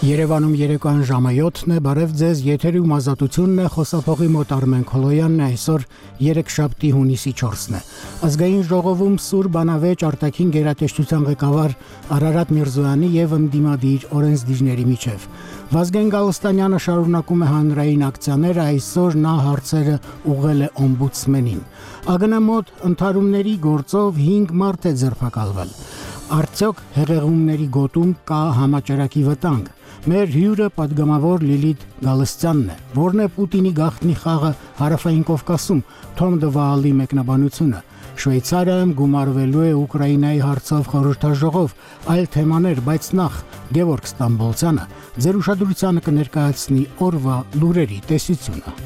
Երևանում երեկոյան ժամը 7-ն է, բարև ձեզ, եթերում ազատությունն է, խոսափողի մոտ Արմեն Քոլոյանն է, այսօր երեքշաբթի հունիսի 4-ն է։ Ազգային ժողովում Սուր բանավեճ արտաքին գերատեսչության ղեկավար Արարատ Միրզոյանի եւ ընդդիմադիր օրենսդիրների միջև։ Վազգեն Գալստանյանը շարունակում է հանրային ակցիաները, այսօր նա հարցերը ուղղել է օմբուդսմենին։ ԱԳՆ մոտ ընդհարումների գործով 5 մարդ է ձերբակալվել։ Արդյոք հեղեղումների գոտում կա համաճարակի վտանգ։ Մեր հյուրը պատգամավոր Լիլիթ Գալստյանն է, որն է Պուտինի գաղտնի խաղը Հարավային Կովկասում, Թոմ Դվալի մեկնաբանությունը։ Շվեյցարիայում գումարվելու է Ուկրաինայի հարցով խորհրդաժողով, այլ թեմաներ, բայց նախ Գևորգ Ստամբոլցյանը ձեր ուշադրությանը կներկայացնի օրվա լուրերի տեսությունը։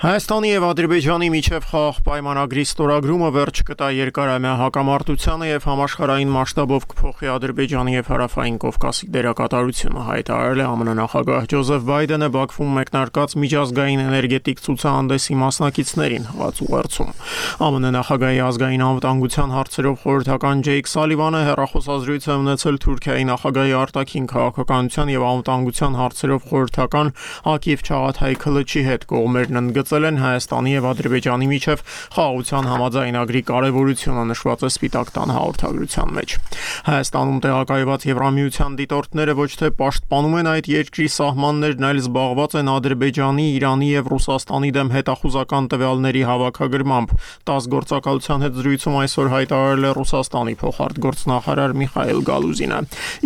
Հայաստանի եւ Ադրբեջանի միջև խաղաղ պայմանագրի ստորագրումը վերջ կտա երկարամյա հակամարտությանը եւ համաշխարհային մասշտաբով կփոխի Ադրբեջանի եւ Հարավային Կովկասի դերակատարությունը, հայտարարել է ԱՄՆ նախագահ Ջոզեֆ Բայդենը Բաքվում մեկնարկած միջազգային էներգետիկ ցուցահանդեսի մասնակիցներին հղած ուղերձում։ ԱՄՆ նախագահի ազգային անվտանգության հարցերով խորհրդական Ջեյք Սալիվանը հեռախոսազրույց է ունեցել Թուրքիայի նախագահի արտաքին քաղաքականության եւ անվտանգության հարցերով խորհրդական Ակիվ Չաղաթայ Քլչի հետ կողմերն ընդգծել են Հայաստանի եւ Ադրբեջանի միջև խաղաղության համաձայնագրի կարեւորությունը, նշված է Սպիտակ տան հաղորդագրության մեջ։ Հայաստանում տեղակայված Եվրամիության դիտորդները ոչ թե պաշտպանում են այդ երկրի սահմաններն, այլ զբաղված են Ադրբեջանի, Իրանի եւ Ռուսաստանի դեմ հետախուզական տվյալների հավաքագրմամբ։ ՏԱՍՍ գործակալության հետ զրույցում այսօր հայտարարել է Ռուսաստանի փոխարտգործնախարար Միխայիլ Գալուզինը։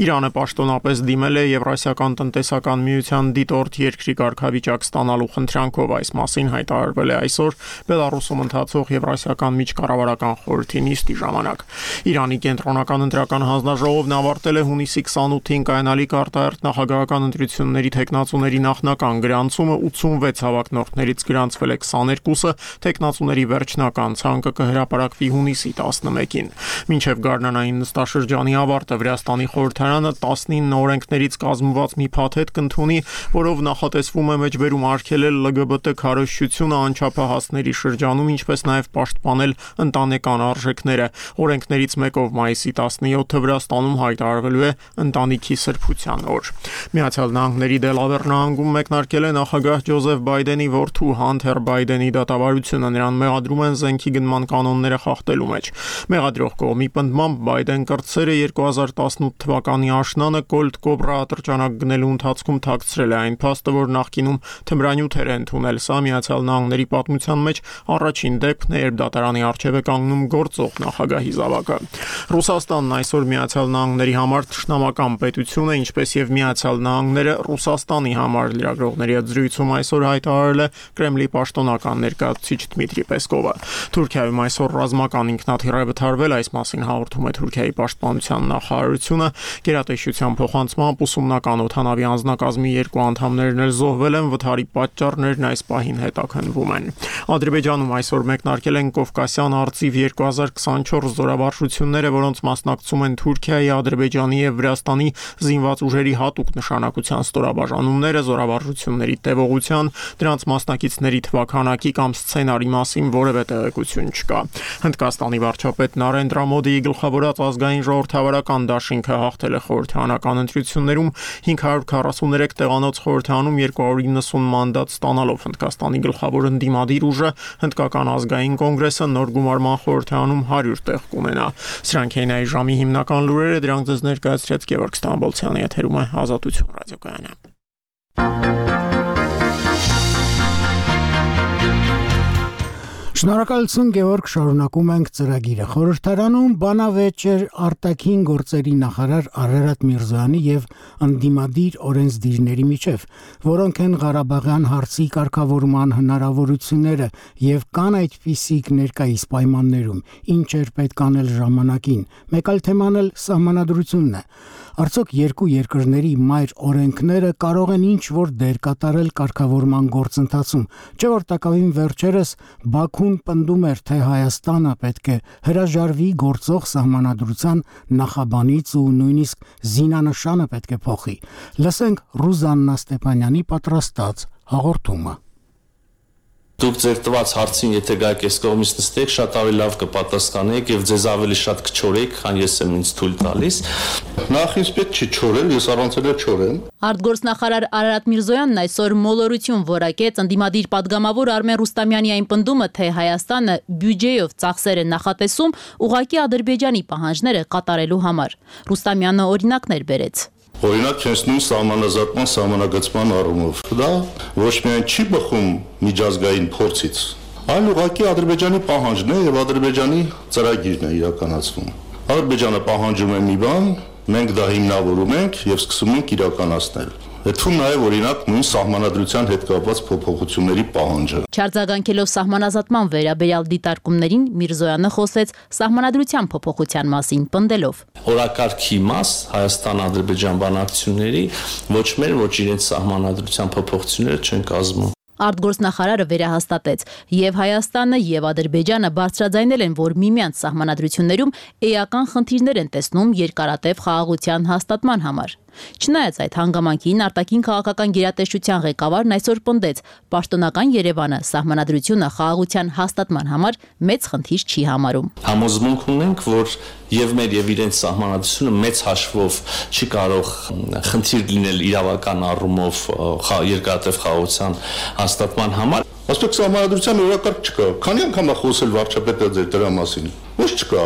Իրանը պաշտոնապես դիմել է Եվրասիական տնտեսական միության դիտորդ երկրի կարգավիճակ ստանալու խնդրանքով, այս մասին հայտարարվել է այսօր Բելարուսում ընթացող Եվրասիական միջկառավարական խորհրդի նիստի ժամանակ։ Իրանի կենտրոնական ընտրական հանձնաժողովն ավարտել է հունիսի 28-ին կայանալիք արտահերթ նախագահական ընտրությունների թեկնածուների նախնական գրանցումը, 86 հավակնորդներից գրանցվել է 22-ը, թեկնածուների վերջնական ցանկը կհրապարակվի հունիսի 11-ին։ Մինչև գարնանային նստաշրջանի ավարտը Վրաստանի խորհրդարանը 19 օրենքներից կազմված մի փաթեթ կընդունի, որով նախատեսվում է մեջբերում արգելել LGBT քարոզչությունը անչափահասների շրջանում, ինչպես նաև պաշտպանել ընտանեկան արժեքները։ Օրենքներից մեկով մայիսի 17-ը Վրաստանում հայտարարվելու է ընտանիքի սրբության օր։ Միացյալ Նահանգների Դելավեր նահանգում մեկնարկել է նախագահ Ջոզեֆ Բայդենի որդու Հանթեր Բայդենի դատավարությունը, նրան մեղադրում են զենքի գնման կանոնները խախտելու մեջ։ Մեղադրող կողմի պնդմամբ Բայդեն կրտսերը 2018 թվականի աշնանը Colt Cobra ատրճանակ գնելու ընթացքում թաքցրել է այն փաստը, որ նախկինում թմրանյութեր է ընդունել։ Սա Միացյալ Նահանգների պատմության մեջ առաջին դեպքն է, երբ դատարանի առջև է կանգնում գործող նախագահի զավակը։ Ռուսաստանն այսօր Միացյալ Նահանգների համար թշնամական պետություն է, ինչպես եւ Միացյալ Նահանգները Ռուսաստանի համար, լրագրողների հետ զրույցում այսօր հայտարարել է Կրեմլի պաշտոնական ներկայացուցիչ Դմիտրի Պեսկովը։ Թուրքիայում այսօր ռազմական ինքնաթիռ է վթարվել, այս մասին հաղորդում է Թուրքիայի պաշտպանության նախարարությունը։ Գերատեսչության փոխանցմամբ ուսումնական օդանավի անձնակազմի 2 անդամներն էլ զոհվել են, վթարի պատճառներն այս պահին հետաքննվում են։ Ադրբեջանում այսօր մեկնարկել են Կովկասյան արծիվ 2024 զորավարժությունները, որոնց մասնակցում են Թուրքիայի, Ադրբեջանի եւ Վրաստանի զինված ուժերի հատուկ նշանակության ստորաբաժանումները, զորավարժությունների տևողության, դրանց մասնակիցների թվաքանակի կամ սցենարի մասին որևէ տեղեկություն չկա։ Հնդկաստանի վարչապետ Նարենդրա Մոդիի գլխավորած ազգային ժողովրդավարական դաշինքը հաղթել է խորհրդարանական ընտրություններում 543 տեղանոց խորհրդարանում 290 մանդատ ստանալով։ Հնդկաստանի գլխավոր ընդդիմադիր ուժը Հնդկական ազգային կոնգրեսը նոր գումարման խորհրդարանում 100 տեղ կունենա։ Սրանք էին այս ժամի հիմնական լուրերը, դրանք ձեզ ներկայացրեց Գևորգ Ստամբոլցյանը, եթերում է Ազատություն ռադիոկայանը։ Շնորհակալություն Գևորգ, շարունակում ենք ծրագիրը։ Խորհրդարանում բանավեճ էր արտաքին գործերի նախարար Արարատ Միրզոյանի եւ ընդդիմադիր օրենսդիրների միջև, որոնք են Ղարաբաղյան հարցի կարգավորման հնարավորությունները եւ կան այդպիսիք ներկայիս պայմաններում, ինչ էր պետք անել ժամանակին։ Մեկ այլ թեման էլ սահմանադրությունն է։ Արդյոք երկու երկրների մայր օրենքները կարող են ինչ-որ դեր կատարել կարգավորման գործընթացում, չէ՞ որ տակավին վերջերս Բաքուն պնդում էր, թե Հայաստանը պետք է հրաժարվի գործող սահմանադրության նախաբանից ու նույնիսկ զինանշանը պետք է փոխի։ Լսենք Ռուզաննա Ստեփանյանի պատրաստած հաղորդումը։ Դուք ձեր տված հարցին եթե գայք այս կողմից նստեք, շատ ավելի լավ կպատասխանեք եւ ձեզ ավելի շատ կչորեք, քան ես եմ ինձ թույլ տալիս։ Նախ ինձ պետք չի չորել, ես առանց էլ չորեմ։ Արտգործնախարար Արարատ Միրզոյանն այսօր մոլորություն որակեց ընդդիմադիր падգամավոր Արմեն Ռուստամյանի այն պնդումը, թե Հայաստանը բյուջեով ծախսեր է նախատեսում ուղղակի Ադրբեջանի պահանջները կատարելու համար։ Ռուստամյանը օրինակներ բերեց։ Օրինակ, հենց նույն սահմանազատման սահմանագծման առումով դա ոչ միայն չի բխում միջազգային փորձից, այլ ուղղակի Ադրբեջանի պահանջն է եւ Ադրբեջանի ծրագիրն է իրականացվում։ Ադրբեջանը պահանջում է մի բան, մենք դա հիմնավորում ենք եւ սկսում ենք իրականացնել։ Հետո նաև օրինակ նույն սահմանադրության հետ կապված փոփոխությունների պահանջը։ Չարձագանքելով սահմանազատման վերաբերյալ դիտարկումներին Միրզոյանը խոսեց սահմանադրության փոփոխության մասին, պնդելով. Օրակարգի մաս Հայաստան-Ադրբեջան բանակցությունների ոչ մեր, ոչ իրենց սահմանադրության փոփոխությունները չեն կազմում։ Արտգործնախարարը վերահաստատեց, եւ Հայաստանը եւ Ադրբեջանը բարձրաձայնել են, որ միմյանց սահմանադրություններում էական խնդիրներ են տեսնում երկարատև խաղաղության հաստատման համար։ Չնայած այդ հանգամանքին արտաքին քաղաքական գերատեսչության ղեկավարն այսօր պնդեց, պաշտոնական Երևանը սահմանադրությունը խաղաղության հաստատման համար մեծ խնդիր չի համարում։ Համոզմունք ունենք, որ եւ մեր եւ իրենց սահմանադրությունը մեծ հաշվով չի կարող խնդիր լինել իրավական առումով երկարատև խաղաղության հաստատման համար։ Ասպետ սահմանադրության օրակարգ չկա։ Քանի անգամ է խոսել վարչապետը ձեր դրա մասին։ Ոչ չկա։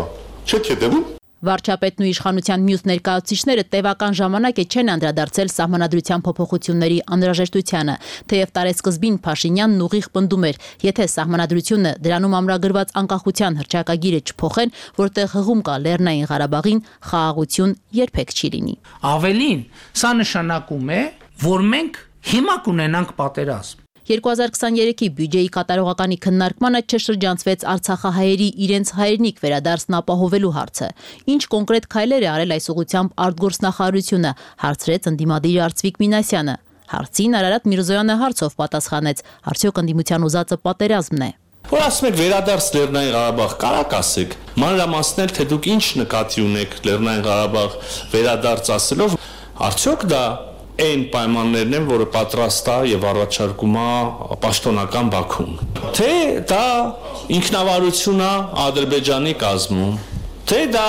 Չեք հետևում։ Վարչապետն ու իշխանության մյուս ներկայացուցիչները տևական ժամանակ չեն անդրադարձել սահմանադրության փոփոխությունների անհրաժեշտությանը, թեև տարեսկզբին Փաշինյանն ուղիղ պնդում էր, եթե սահմանադրությունը դրանում ամրագրված անկախության հռչակագիրը չփոխեն, որտեղ հղում կա Լեռնային Ղարաբաղին, խաղաղություն երբեք չի լինի։ Ավելին, սա նշանակում է, որ մենք հիմա կունենանք պատերազմ։ 2023-ի բյուջեի կատարողականի քննարկմանը չշրջանցվեց արցախահայերի իրենց հայրենիք վերադարձն ապահովելու հարցը։ Ինչ կոնկրետ քայլեր է արել այս ուղղությամբ արտգործնախարարությունը, հարցրեց ընդդիմադիր Արծվիկ Մինասյանը։ Հարցին Արարատ Միրզոյանը հարցով պատասխանեց. արդյոք ընդդիմության ուզածը պատերազմն է։ Որ ասում եք վերադարձ Լեռնային Ղարաբաղ, կարաք ասեք, մանրամասնել, թե դուք ինչ նկատի ունեք Լեռնային Ղարաբաղ վերադարձ ասելով, արդյոք դա այն պայմաններն են, որը պատրաստ է եւ առաջարկում է պաշտոնական Բաքուն։ Թե դա ինքնավարություն է Ադրբեջանի կազմում, թե դա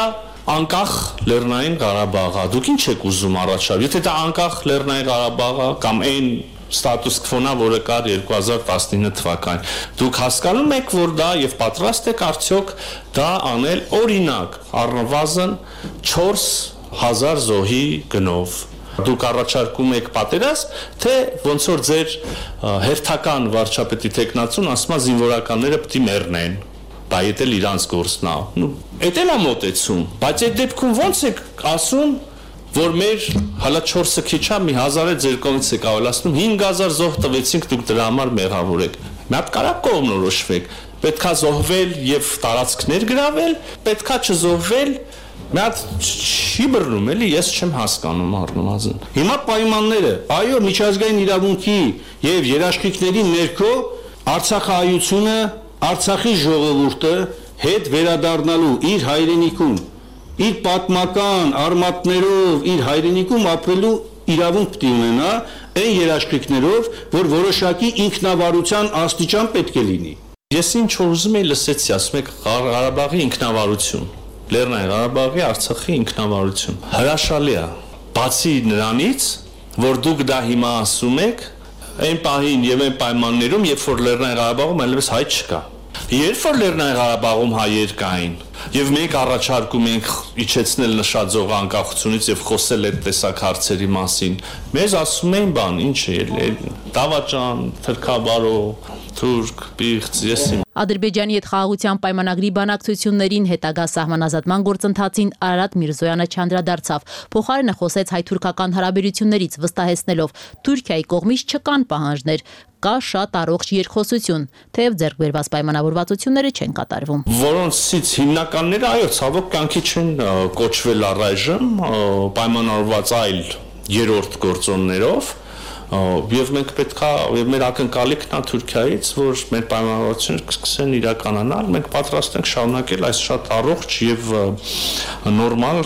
անկախ Լեռնային Ղարաբաղ է։ Դուք ինչ եք ուզում առաջարկել։ Եթե դա անկախ Լեռնային Ղարաբաղ է կամ այն ստատուս քվոնա, որը կար 2019 թվականին, դուք հասկանում եք, որ դա եւ պատրաստ եք արդյոք դա անել օրինակ առնվազն 4000 զոհի գնով։ Դուք առաջարկում եք պատերազմ, թե ոնց որ ձեր հերթական վարչապետի տեխնացուն ասում է զինվորականները պետք է մեռնեն, դա էլ իրանց գործն է։ Էդ էլ է մոտեցում, բայց այդ դեպքում ոնց եք ասում, որ մեր հələ 4-ը քիչ է, մի 1000-ը ձեր կողմից եք ավելացնում, 5000 զոհ տվեցինք, դուք դրա համար մեղավոր եք։ Մի հատ կարակ կողմնորոշվեք, պետքա զոհվել եւ տարածքներ գրավել, պետքա չզոհվել։ Մի հատ չի բռնում, էլի ես չեմ հասկանում առնվազն։ Հիմա պայմանները, այո, միջազգային իրավունքի եւ երաշխիքների ներքո Արցախահայությունը, Արցախի ժողովուրդը հետ վերադառնալու իր հայրենիքում, իր պատմական արմատներով իր հայրենիքում ապրելու իրավունք պետք է ունենա, այն երաշխիքներով, որ որոշակի ինքնավարության աստիճան պետք է լինի։ Ես ինչ որ ուզում եի լսեցի, ասում եք Ղարաբաղի ինքնավարություն, Լեռնային Ղարաբաղի, Արցախի ինքնավարություն։ Հրաշալի է։ Բացի նրանից, որ դուք դա հիմա ասում եք, այն պահին եւ այն պայմաններում, երբ որ Լեռնային Ղարաբաղում այլևս հայ չկա։ Երբ որ Լեռնային Ղարաբաղում հայեր կային, եւ մենք առաջարկում ենք իջեցնել նշաձող անկախությունից եւ խոսել այդ տեսակ հարցերի մասին, մեզ ասում էին բան, ինչ է, դավաճան, թրքաբարո, թուրք, պիղծ, ես իմ։ Ադրբեջանի հետ խաղաղության պայմանագրի բանակցություններին հետագա սահմանազատման գործընթացին Արարատ Միրզոյանը չանդրադարձավ։ Փոխարենը խոսեց հայ-թուրքական հարաբերություններից, վստահեցնելով Թուրքիայի կողմից չկան պահանջներ, կա շատ առողջ երկխոսություն, թեև ձեռք բերված պայմանավորվածությունները չեն կատարվում։ Որոնցից հիմնականները, այո, ցավոք կյանքի չեն կոչվել առայժմ, պայմանավորված այլ երրորդ գործոններով, եւ մենք պետքա եւ մեր ակնկալիքն է Թուրքիայից, որ մեր պայմանավորվածությունները կսկսեն իրականանալ, մենք պատրաստ ենք շարունակել այս շատ առողջ եւ նորմալ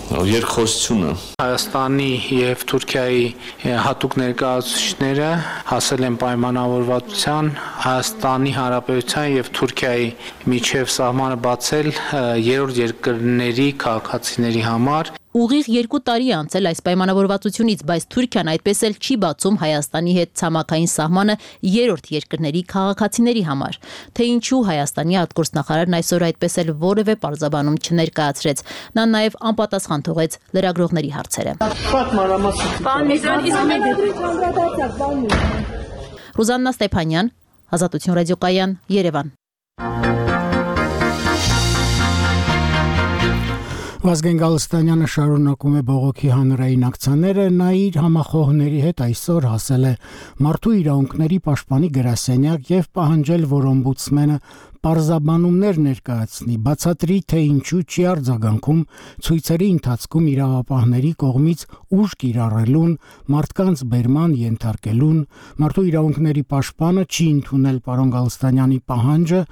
երկխոսությունը։ Հայաստանի եւ Թուրքիայի հատուկ ներկայացուցիչները հասել են պայմանավորվածության Հայաստանի Հանրապետության եւ Թուրքիայի միջև սահմանը բացել երրորդ երկրների քաղաքացիների համար։ Ուղիղ 2 տարի է անցել այս պայմանավորվածությունից, բայց Թուրքիան այդպես էլ չի բացում Հայաստանի հետ ցամաքային սահմանը երրորդ երկրների քաղաքացիների համար։ Թե ինչու Հայաստանի արտգործնախարարն այսօր այդպես էլ որևէ պարզաբանում չներկայացրեց։ Նա նաև անպատասխան թողեց լրագրողների հարցերը։ Ռուզաննա Ստեփանյան, Ազատություն ռադիոկայան, Երևան։ Վազգեն Գալստանյանը շարունակում է բողոքի հանրային ակցիաները, նա իր համախոհների հետ այսօր հասել է մարդու իրավունքների պաշտպանի գրասենյակ եւ պահանջել, որ օմբուդսմենը պարզաբանումներ ներկայացնի, բացատրի, թե ինչու չի արձագանքում ցույցերի ընթացքում իրավապահների կողմից ուժ կիրառելուն, մարդկանց բերման ենթարկելուն, մարդու իրավունքների պաշտպանը չի ընդունել պարոն Գալստանյանի պահանջը,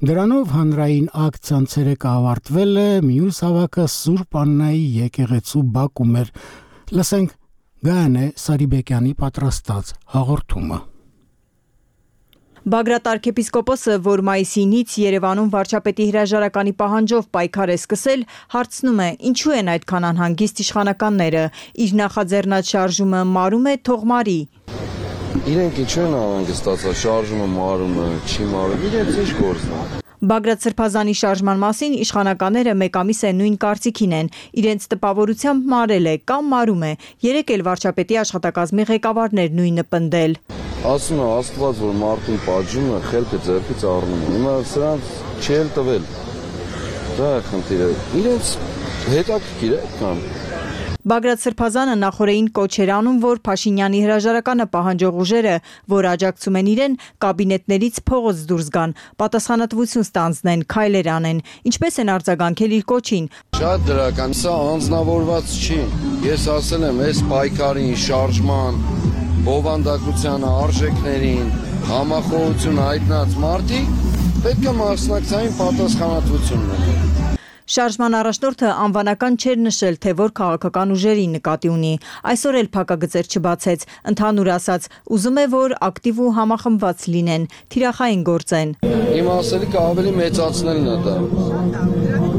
դրանով հանրային ակցիան ցերեկը ավարտվել է, մյուս հավաքը Սուրբ Աննայի եկեղեցու բակում էր։ Լսենք Գայանե Սարիբեկյանի պատրաստած հաղորդումը։ Բագրատ arczepiskopos-ը, որ մայիսինից Երևանում վարչապետի հրաժարականի պահանջով պայքար է սկսել, հարցնում է, ինչու են այդքան անհանգիստ իշխանականները, իր նախաձեռնած շարժումը մարում է, թող մարի։ Իրենք ինչու են անհանգստացած, շարժումը մարում է, չի մարում, իրենց ինչ գործն է։ Բագրատ Սրբազանի շարժման մասին իշխանականները մեկ ամիս է նույն կարծիքին են, իրենց տպավորությամբ մարել է կամ մարում է, երեկ էլ վարչապետի աշխատակազմի ղեկավարներ նույնը պնդել։ Ասում է Աստված, որ մարդուն պատժում է, խելքը ձեռքից առնում է, հիմա սրանց չի էլ տվել, դա է խնդիրը, իրենց հետաքրքիր է այդքան։ Բագրատ Սրբազանը նախորդին կոչ էր անում, որ Փաշինյանի հրաժարականը պահանջող ուժերը, որ աջակցում են իրեն, կաբինետներից փողոց դուրս գան, պատասխանատվություն ստանձնեն, քայլեր անեն, ինչպես են արձագանքել իր կոչին։ Շատ դրական, սա անձնավորված չի, ես ասել եմ, այս պայքարին, շարժման, բովանդակության արժեքներին, համախոհություն հայտնած մարդիկ պետք է մասնակցային պատասխանատվություն ունենան։ Շարժման առաջնորդը անվանական չէր նշել, թե որ քաղաքական ուժերի նկատի ունի։ Այսօր էլ փակագծեր չբացեց, ընդհանուր ասած, ուզում է, որ ակտիվ ու համախմբված լինեն, թիրախային գործեն։ Իմ ասելիքը ավելի մեծացնելն է դա։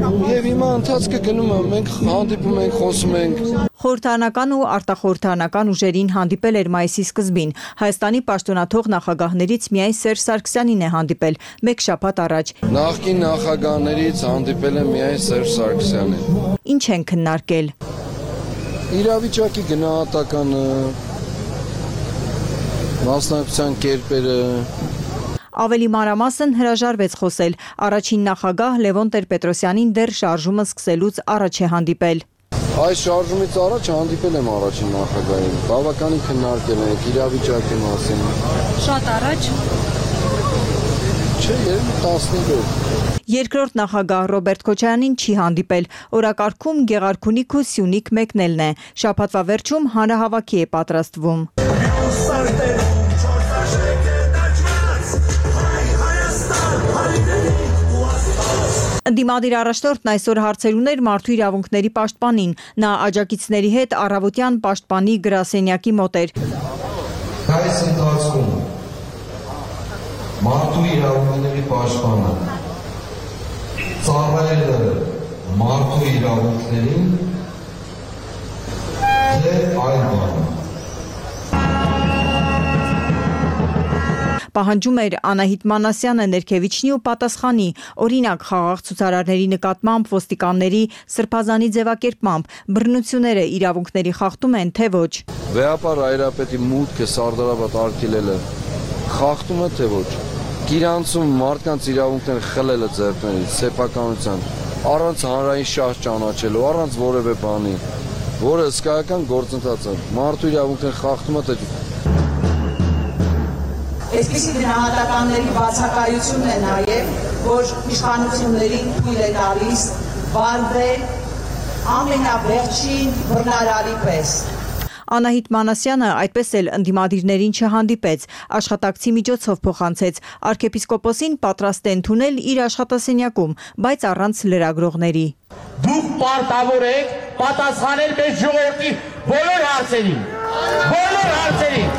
Եվ հիմա ընթացքը գնում է, մենք հանդիպում ենք, խոսում ենք։ Խորհրդարանական ու արտախորհրդարանական ուժերին հանդիպել էր մայիսի սկզբին։ Հայաստանի պաշտոնաթող նախագահներից միայն Սերժ Սարգսյանին է հանդիպել, մեկ շաբաթ առաջ։ Նախկին նախագահներից հանդիպել է միայն Սերժ Սարգսյանին։ Ինչ են քննարկել։ Իրավիճակի գնահատականը, մասնակցության կերպերը։ Ավելի մանրամասն հրաժարվեց խոսել։ Առաջին նախագահ Լևոն Տեր-Պետրոսյանին դեռ շարժումը սկսելուց առաջ է հանդիպել։ Այս շարժումից առաջ հանդիպել եմ առաջին նախագահին, բավականին քննարկել ենք իրավիճակի մասին։ Շատ առաջ։ Չէ, 15 Երկրորդ նախագահ Ռոբերտ Քոչարյանին չի հանդիպել, օրակարգում Գեղարքունիք ու Սյունիք մեկնելն է, շաբաթվա վերջում հանրահավաքի է պատրաստվում։ Ընդդիմադիր առաջնորդն այսօր հարցեր ուներ մարդու իրավունքների պաշտպանին, նա աջակիցների հետ առավոտյան պաշտպանի գրասենյակի մոտ էր։ Այս ընթացքում մարդու իրավունքների պաշտպանը ծառայել է մարդու իրավունքներին թե այլ բան։ Պահանջում էր Անահիտ Մանասյանը ներքևիչնի ու պատասխանի, օրինակ խաղաղ ցուցարարների նկատմամբ ոստիկանների Սրբազանի ձևակերպմամբ բռնությունները իրավունքների խախտում են, թե ոչ։ Վեհապար Հայրապետի մուտքը Սարդարապատ արգելելը խախտում է, թե ոչ։ Գիրանցում մարդկանց իրավունքները խլելը ձեռքներից, սեփականության, առանց հանրային շահ ճանաչելու, առանց որևէ բանի, որը հսկայական գործընթաց է։ Մարդու իրավունքները խախտում է, թե Այսպիսի գնահատականների բացակայությունն է նաև, որ իշխանություններին թույլ է տալիս վարվել ամենավերջին բռնարարի պես։ Անահիտ Մանասյանը այդպես էլ ընդդիմադիրներին չհանդիպեց, աշխատակցի միջոցով փոխանցեց, arczepiskopos-ին պատրաստ է ընդունել իր աշխատասենյակում, բայց առանց լրագրողների։ Դուք պարտավոր եք պատասխանել մեր ժողովրդի բոլոր հարցերին։ Բոլոր հարցերին։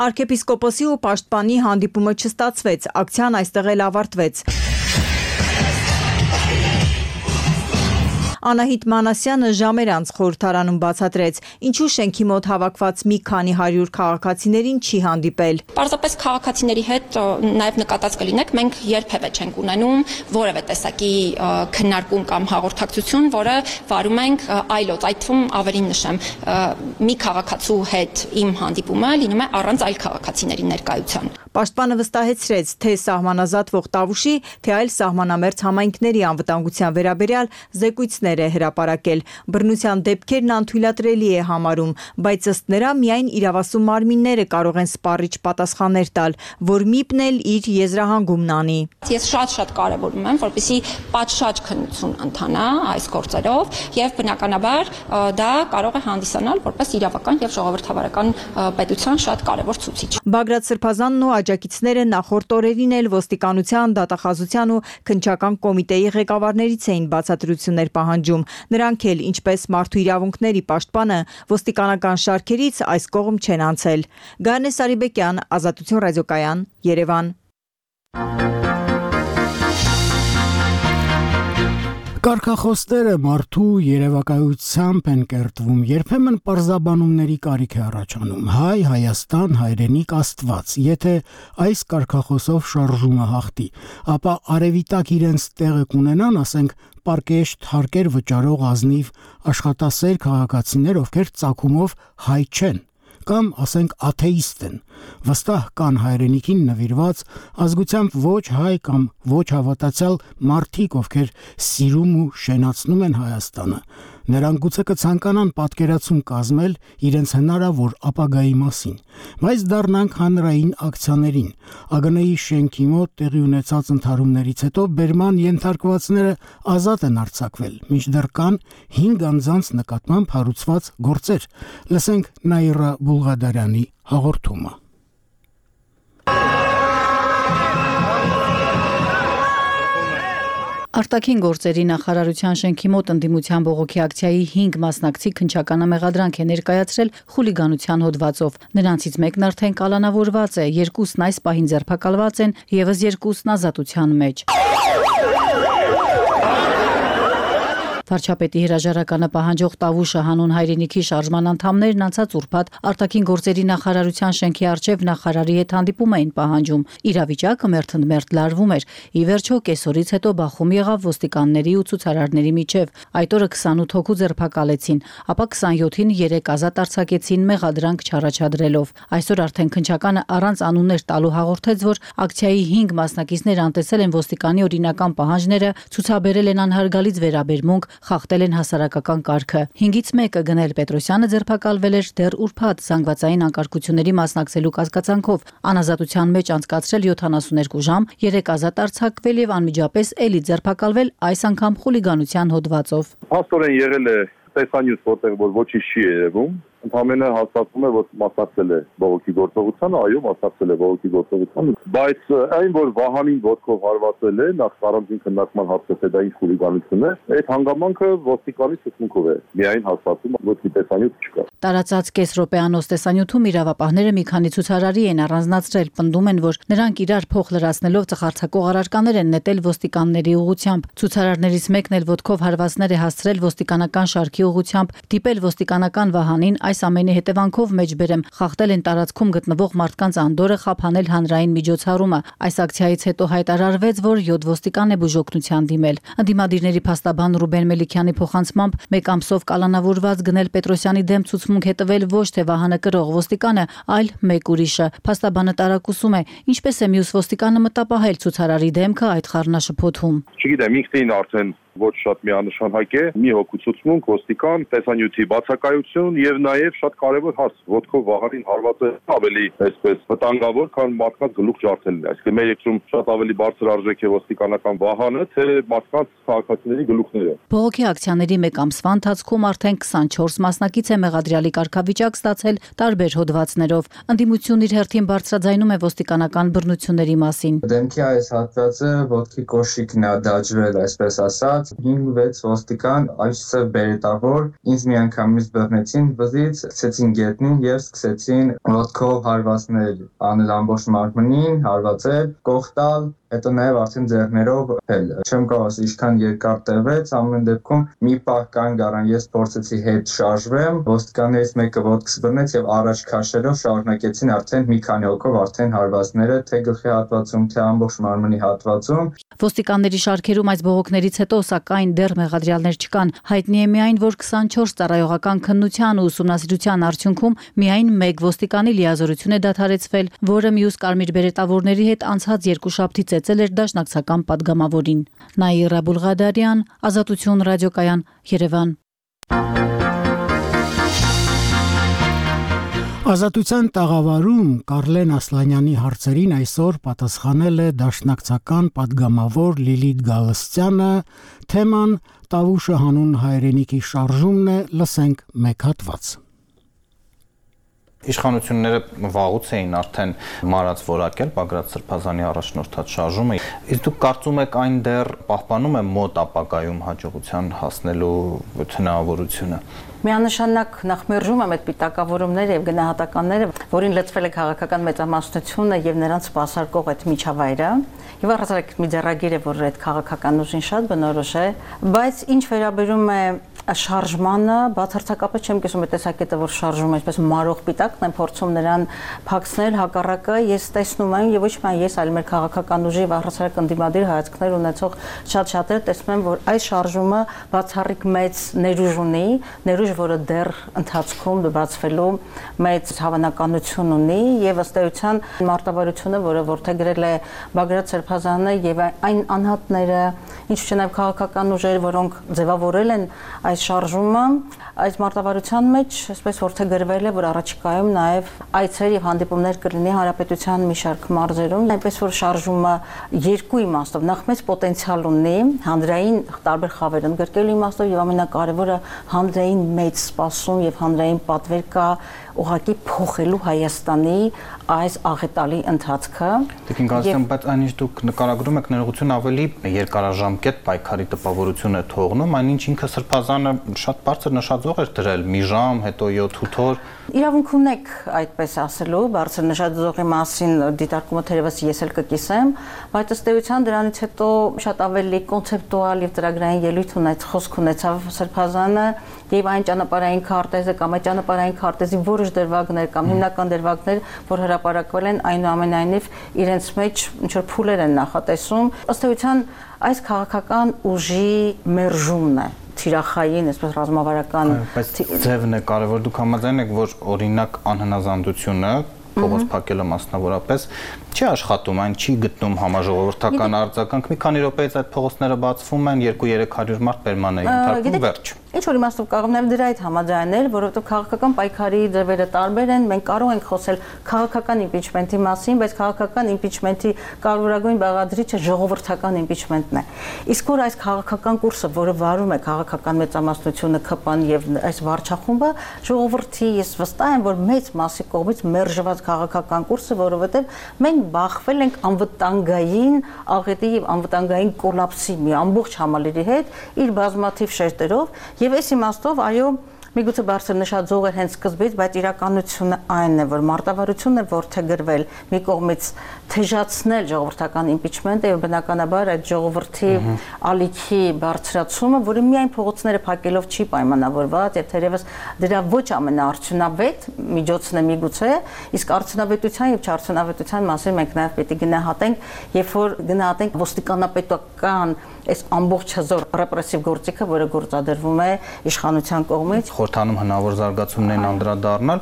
Արքեպիսկոպոսի ու պաշտպանի հանդիպումը չստացվեց, ակցիան այստեղ էլ ավարտվեց։ Անահիտ Մանասյանը ժամեր անց խորհրդարանում բացատրեց, ինչու շենքի մոտ հավաքված մի քանի 100 քաղաքացիներին չի հանդիպել։ Պարզապես քաղաքացիների հետ նաև նկատած կլինեք, մենք երբևէ չենք ունենում որևէ տեսակի քննարկում կամ հաղորդակցություն, որը վարում ենք այլոց, այդ թվում ավելին նշեմ, մի քաղաքացու հետ իմ հանդիպումը լինում է առանց այլ քաղաքացիների ներկայության։ Պաշտպանը վստահեցրեց, թե սահմանազատվող Տավուշի, թե այլ սահմանամերձ համայնքների անվտանգության վերաբերյալ զեկույցներ է հրապարակել։ Բռնության դեպքերն անթույլատրելի է համարում, բայց ըստ նրա միայն իրավասու մարմինները կարող են սպառիչ պատասխաններ տալ, որ ՄԻՊ-ն էլ իր եզրահանգումն անի։ Ես շատ կարևորում եմ, որպեսզի պատշաճ քննություն ընթանա այս գործերով եւ բնականաբար դա կարող է հանդիսանալ որպես իրավական եւ ժողովրդավարական պետության շատ կարևոր ցուցիչ։ Բագրատ Սրբազանն ու աջակիցները նախորդ օրերին էլ ոստիկանության, դատախազության ու քննչական կոմիտեի ղեկավարներից էին բացատրություններ պահանջում։ Նրանք էլ, ինչպես մարդու իրավունքների պաշտպանը, ոստիկանական շարքերից այս կողմ չեն անցել։ Գայանե Սարիբեկյան, Ազատություն ռադիոկայան, Երևան։ Կարգախոսները մարդու երևակայությամբ են կերտվում, երբեմն պարզաբանումների կարիք է առաջանում։ Հայ, Հայաստան, հայրենիք, Աստված։ Եթե այս կարգախոսով շարժումը հաղթի, ապա արևիտակ իրենց տեղը կունենան, ասենք, պարկեշտ հարկեր վճարող ազնիվ աշխատասեր քաղաքացիներ, ովքեր ծագումով հայ չեն, կամ ասենք աթեիստ են, վստահ կան հայրենիքին նվիրված, ազգությամբ ոչ հայ կամ ոչ հավատացյալ մարդիկ, ովքեր սիրում ու շենացնում են Հայաստանը։ Նրանք գուցե կցանկանան պատկերացում կազմել իրենց հնարավոր ապագայի մասին, բայց դառնանք հանրային ակցիաներին։ ԱԳՆ-ի շենքի մոտ տեղի ունեցած ընդհարումներից հետո բերման ենթարկվածները ազատ են արձակվել, մինչդեռ կան 5 անձանց նկատմամբ հարուցված գործեր։ Լսենք Նաիրա Բուլղադարյանի հաղորդումը։ Արտաքին գործերի նախարարության շենքի մոտ ընդդիմության բողոքի ակցիայի 5 մասնակցի քննչականը մեղադրանք է ներկայացրել խուլիգանության հոդվածով։ Նրանցից մեկն արդեն կալանավորված է, երկուսն այս պահին ձերբակալված են, եւս երկուսն ազատության մեջ։ Վարչապետի հրաժարականը պահանջող Տավուշը հանուն հայրենիքի շարժման անդամներն անցած ուրբաթ արտաքին գործերի նախարարության շենքի առջև նախարարի հետ հանդիպում էին պահանջում։ Իրավիճակը մերթընդմերթ լարվում էր։ Ի վերջո կեսօրից հետո բախում եղավ ոստիկանների ու ցուցարարների միջև։ Այդ օրը 28 հոգու ձերբակալեցին, ապա 27-ին 3 ազատ արձակեցին մեղադրանք չառաջադրելով։ Այսօր արդեն քննչականը առանց անուններ տալու հաղորդեց, որ ակցիայի 5 մասնակիցներ անտեսել են ոստիկանի օրինական պահանջները, ցուցաբերել են անհարգալից վերաբերմունք, խախտել են հասարակական կարգը։ 5-ից մեկը Գնել Պետրոսյանը ձերբակալվել էր դեռ ուրբաթ զանգվածային անկարգությունների մասնակցելու կասկածանքով, անազատության մեջ անցկացրել 72 ժամ, 3 ազատ արձակվել եւ անմիջապես էլի ձերբակալվել, այս անգամ խուլիգանության հոդվածով։ Փաստորեն եղել է տեսանյութ, որտեղ որ ոչինչ չի երևում, ընդհանրապես հաստատվում է, որ մասնակցել է բողոքի գործողությանը, այո, մասնակցել է բողոքի գործողությանը, բայց այն, որ Վահանին ոտքով հարվածել է, նախ առանձին քննարկման հարցը թե դա ինչ խուլիգանություն է, այդ հանգամանքը ոստիկանի ցուցմունքով է միայն հաստատվում, ոչ մի տեսանյութ չկա։ Տարածած կես րոպեանոց տեսանյութում իրավապահները մի քանի ցուցարարի են առանձնացրել, պնդում են, որ նրանք իրար փող լրացնելով ծխարցակող առարկաներ են նետել ոստիկանների ուղղությամբ։ Ցուցարարներից մեկն էլ ոտքով հարվածներ է հասցրել ոստիկանական շարքի ուղղությամբ, դիպել ոստիկանական Վահանին, այս ամենի հետևանքով մեջբերեմ խախտել են տարածքում գտնվող մարդկանց անդորը, խափանել հանրային միջոցառումը։ Այս ակցիայից հետո հայտարարվեց, որ 7 ոստիկան է բուժօգնության դիմել։ Ընդդիմադիրների փաստաբան Ռուբեն Մելիքյանի փոխանցմամբ մեկ ամսով կալանավորված Գնել Պետրոսյանի դեմ ցուցմունք է տվել ոչ թե Վահանը կրող ոստիկանը, այլ մեկ ուրիշը։ Փաստաբանը տարակուսում է, ինչպես է մյուս ոստիկանը մտապահել ցուցարարի դեմքը այդ խառնաշփոթում։ Չգիտեմ, ինքնին արդեն ոչ շատ միանշանակ է, մի հոգու ցուցմունք, ոստիկան, տեսանյութի բացակայություն եւ նաեւ շատ կարեւոր հարց, ոտքով Վահանին հարվածը ավելի այսպես վտանգավոր, քան մարդկանց գլուխ ջարդելն է։ Այսինքն մեր երկրում շատ ավելի բարձր արժեք է ոստիկանական Վահանը, թե մարդկանց քաղաքացիների գլուխները։ Բողոքի ակցիաների մեկ ամսվա ընթացքում արդեն 24 մասնակից է մեղադրյալի կարգավիճակ ստացել տարբեր հոդվածներով։ Ընդդիմությունն իր հերթին բարձրաձայնում է ոստիկանական բռնությունների մասին։ Դեմքի այս հատվածը ոտքի կոշիկն է դաջվել, այսպես ասած, եկած 5-6 ոստիկան այստեղ բերետավոր ինձ միանգամից բռնեցին վզից, սկսեցին գետնին եւ սկսեցին ոտքով հարվածներ անել ամբողջ մարմնին, հարվածել, կողտալ, հետո նաև արդեն ձեռներով էլ չեմ կարող ասել ինչքան երկար տևեց, ամեն դեպքում մի պահ կանգ առան, ես փորձեցի հետ շարժվեմ, ոստիկաններից մեկը ոտքս բռնեց եւ առաջ քաշելով շարունակեցին արդեն մի քանի հոգով արդեն հարվածները թե գլխի հատվածում, թե ամբողջ մարմնի հատվածում։ Ոստիկանների շարքերում այս բողոքներից հետո սակայն դեռ մեղադրյալներ չկան։ Հայտնի է միայն, որ 24 ծառայողական քննության ու ուսումնասիրության արդյունքում միայն 1 ոստիկանի լիազորություն է դադարեցվել, որը մյուս կարմիր բերետավորների հետ անցած երկուշաբթի ծեծել էր դաշնակցական падգամավորին։ Նաիրա Բուլղադարյան, Ազատություն ռադիոկայան, Երևան։ Ազատության տաղավարում Կարլեն Ասլանյանի հարցերին այսօր պատասխանել է դաշնակցական падգամավոր Լիլիթ Գալստյանը, թեման Տավուշը հանուն հայրենիքի շարժումն է, լսենք մեկ հատված։ Իշխանությունները վաղուց էին արդեն մարած որակել Բագրատ Սրբազանի առաջնորդած շարժումը։ Իսկ դուք կարծում եք այն դեռ պահպանում է մոտ ապագայում հաջողության հասնելու հնարավորությունը։ Միանշանակ նախ մերժում եմ այդ պիտակավորումները եւ գնահատականները, որին լծվել է քաղաքական մեծամասնությունը եւ նրանց սպասարկող այդ միջավայրը, եւ առհասարակ մի ձեռագիր է, որ այդ քաղաքական ուժին շատ բնորոշ է, բայց ինչ վերաբերում է շարժմանը, բացարձակապես չեմ կիսում այդ տեսակետը, որ շարժումը այսպես մարող պիտակն են փորձում նրան փակցնել, հակառակը ես տեսնում եմ եւ ոչ միայն ես, այլ մեր քաղաքական ուժի առհասարակ ընդդիմադիր հայացքներ ունեցող շատ-շատերը տեսնում են, որ այս շարժումը բացառիկ մեծ ներուժ ունի, ներուժ, որը դեռ ընթացքում բացվելու մեծ հավանականություն ունի եւ ըստ էության մարտավարությունը, որը որդեգրել է Բագրատ Սրբազանը եւ այն անհատները, ինչու՞ չէ նաեւ քաղաքական ուժեր, որոնք ձևավորել են այս շարժումը, այս մարտավարության մեջ այսպես որդեգրվել է, որ առաջիկայում նաև այցեր եւ հանդիպումներ կլինի հանրապետության մի շարք մարզերում, այնպես որ շարժումը երկու իմաստով, նախ մեծ պոտենցիալ ունի հանրային տարբեր խավեր ընդգրկելու իմաստով եւ ամենակարևորը հանրային մեծ սպասում եւ հանրային պատվեր կա ուղղակի փոխելու Հայաստանի այս աղետալի ընթացքը։ Տիկին Գալստյան, բայց այնինչ դուք նկարագրում եք ներողություն ավելի երկարաժամկետ պայքարի տպավորություն է թողնում, այնինչ ինքը Սրբազանը շատ բարձր նշաձող էր դրել՝ մի ժամ, հետո 7-8 օր։ Իրավունք ունեք այդպես ասելու, բարձր նշաձողի մասին դիտարկումը թերևս ես էլ կկիսեմ, բայց ըստ էության դրանից հետո շատ ավելի կոնցեպտուալ եւ ծրագրային ելույթ խոսք ունեցավ Սրբազանը եւ այն ճանապարհային քարտեզը կամ այդ ճանապարհային քարտեզի որոշ դրվագներ կամ հիմնական դրվագներ, որ հրապարակվել են, այնուամենայնիվ իրենց մեջ ինչ որ փուլեր են նախատեսում, ըստ էության այս քաղաքական ուժի մերժումն է թիրախային, այսպես ռազմավարական ձևն է կարևոր։ Դուք համաձայն եք, որ օրինակ անհնազանդությունը փողոց փակելը մասնավորապես չի աշխատում, այն չի գտնում համաժողովրդական արձագանք։ Մի քանի րոպեից այդ փողոցները բացվում են, 200-300 մարդ պերման է ենթարկվում, վերջ։ Ինչ որ իմաստով կարող եմ դրա այդ համաձայնել, որովհետև քաղաքական պայքարի ձևերը տարբեր են, մենք կարող ենք խոսել քաղաքական իմպիչմենտի մասին, բայց քաղաքական իմպիչմենտի կարևորագույն բաղադրիչը ժողովրդական իմպիչմենտն է։ Իսկ որ այս քաղաքական կուրսը, որը վարում է քաղաքական մեծամասնությունը, ԿՊ-ն եւ այս վարչախումբը, ժողովրդի ես վստահ եմ, որ մեծ մասի կողմից մերժված քաղաքական կուրսը, որովհետև մենք բախվել ենք անվտանգային աղետի եւ անվտանգային կոլապսի մի ամբողջ համալիրի հետ իր բազմաթիվ շերտերով եւ այս իմաստով այո միգուցե բարձր նշաձող էր հենց սկզբից, բայց իրականությունը այն է, որ մարտավարությունն է որդեգրվել մի կողմից թեժացնել ժողովրդական իմպիչմենտը եւ բնականաբար այդ ժողովրդի ալիքի բարձրացումը, որը միայն փողոցները փակելով չի պայմանավորված եւ թերևս դրա ոչ ամենաարդյունավետ միջոցն է միգուցե, իսկ արդյունավետության եւ չարդյունավետության մասին մենք նաեւ պետք է գնահատենք, երբ որ գնահատենք ոստիկանապետական այս ամբողջ հզոր ռեպրեսիվ գործիքը, որը գործադրվում է իշխանության կողմից, խորհրդանում հնարավոր զարգացումներին անդրադառնալ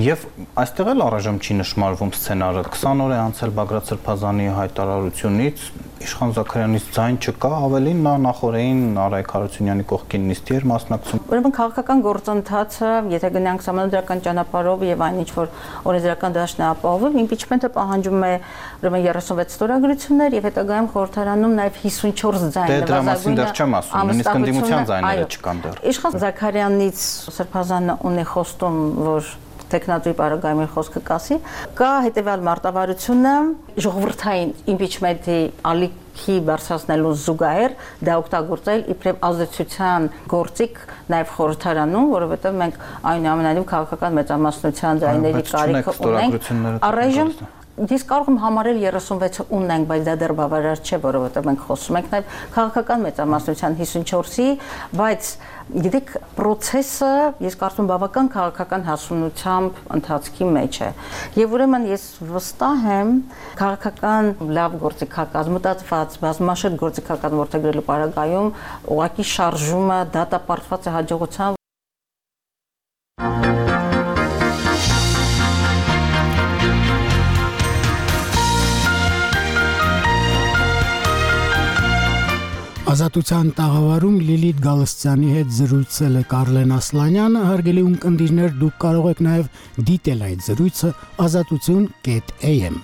եւ այստեղ էլ առայժմ չի նշмарվում սցենարը 20 օր է անցել Բագրատ Սրբազանի հայտարարությունից Իշխան Զաքարյանից ձայն չկա, ավելին նա նախորդին Արայք Հարությունյանի կողքին նիստի էր մասնակցում։ Ուրեմն քաղաքական գործընթացը, եթե գնանք սահմանադրական ճանապարհով եւ այն ինչ որ օրենսդրական դաշտն է ապահովում, իմպիչմենտը պահանջում է ուրեմն 36 ստորագրություններ եւ հետագայում խորհրդարանում նաեւ 54 ձայն նվազագույնը։ Դե դրա մասին դեռ չեմ ասում, նույնիսկ ընդդիմության ձայները չկան դեռ։ Իշխան Զաքարյանից Սրբազանը ունի խոստում, որ տեխնատուի բարագայմի խոսքը կասի, կա հետեւյալ մարտավարությունը ժողովրդային իմպիչմենտի ալիք բարձրացնելու զուգահեռ դա օգտագործել իբրև ազդեցության գործիք նաև խորհրդարանում, որովհետև մենք այնուամենայնիվ քաղաքական մեծամասնության ձայների կարիքը ունենք։ Առայժմ Ես կարող եմ համարել 36-ը ունենք, բայց դա դեռ բավարար չէ, որովհետև մենք խոսում ենք նաև քաղաքական մեծամասնության 54-ի, բայց գիտեք, process-ը ես կարծում բավական քաղաքական հասունությամբ ընթացքի մեջ է։ Եվ ուրեմն ես վստահ եմ քաղաքական լավ գործիքակազմ, մտածված, բազմաշերտ գործիքակազմ որդեգրելու պարագայում ուղղակի շարժումը դատապարտված է հաջողությամբ։ Ազատության տաղավարում Լիլիթ Գալստյանի հետ զրուցել է Կարլեն Ասլանյանը, հարգելի ունկնդիրներ, դուք կարող եք նաև դիտել այդ զրույցը azatutun.am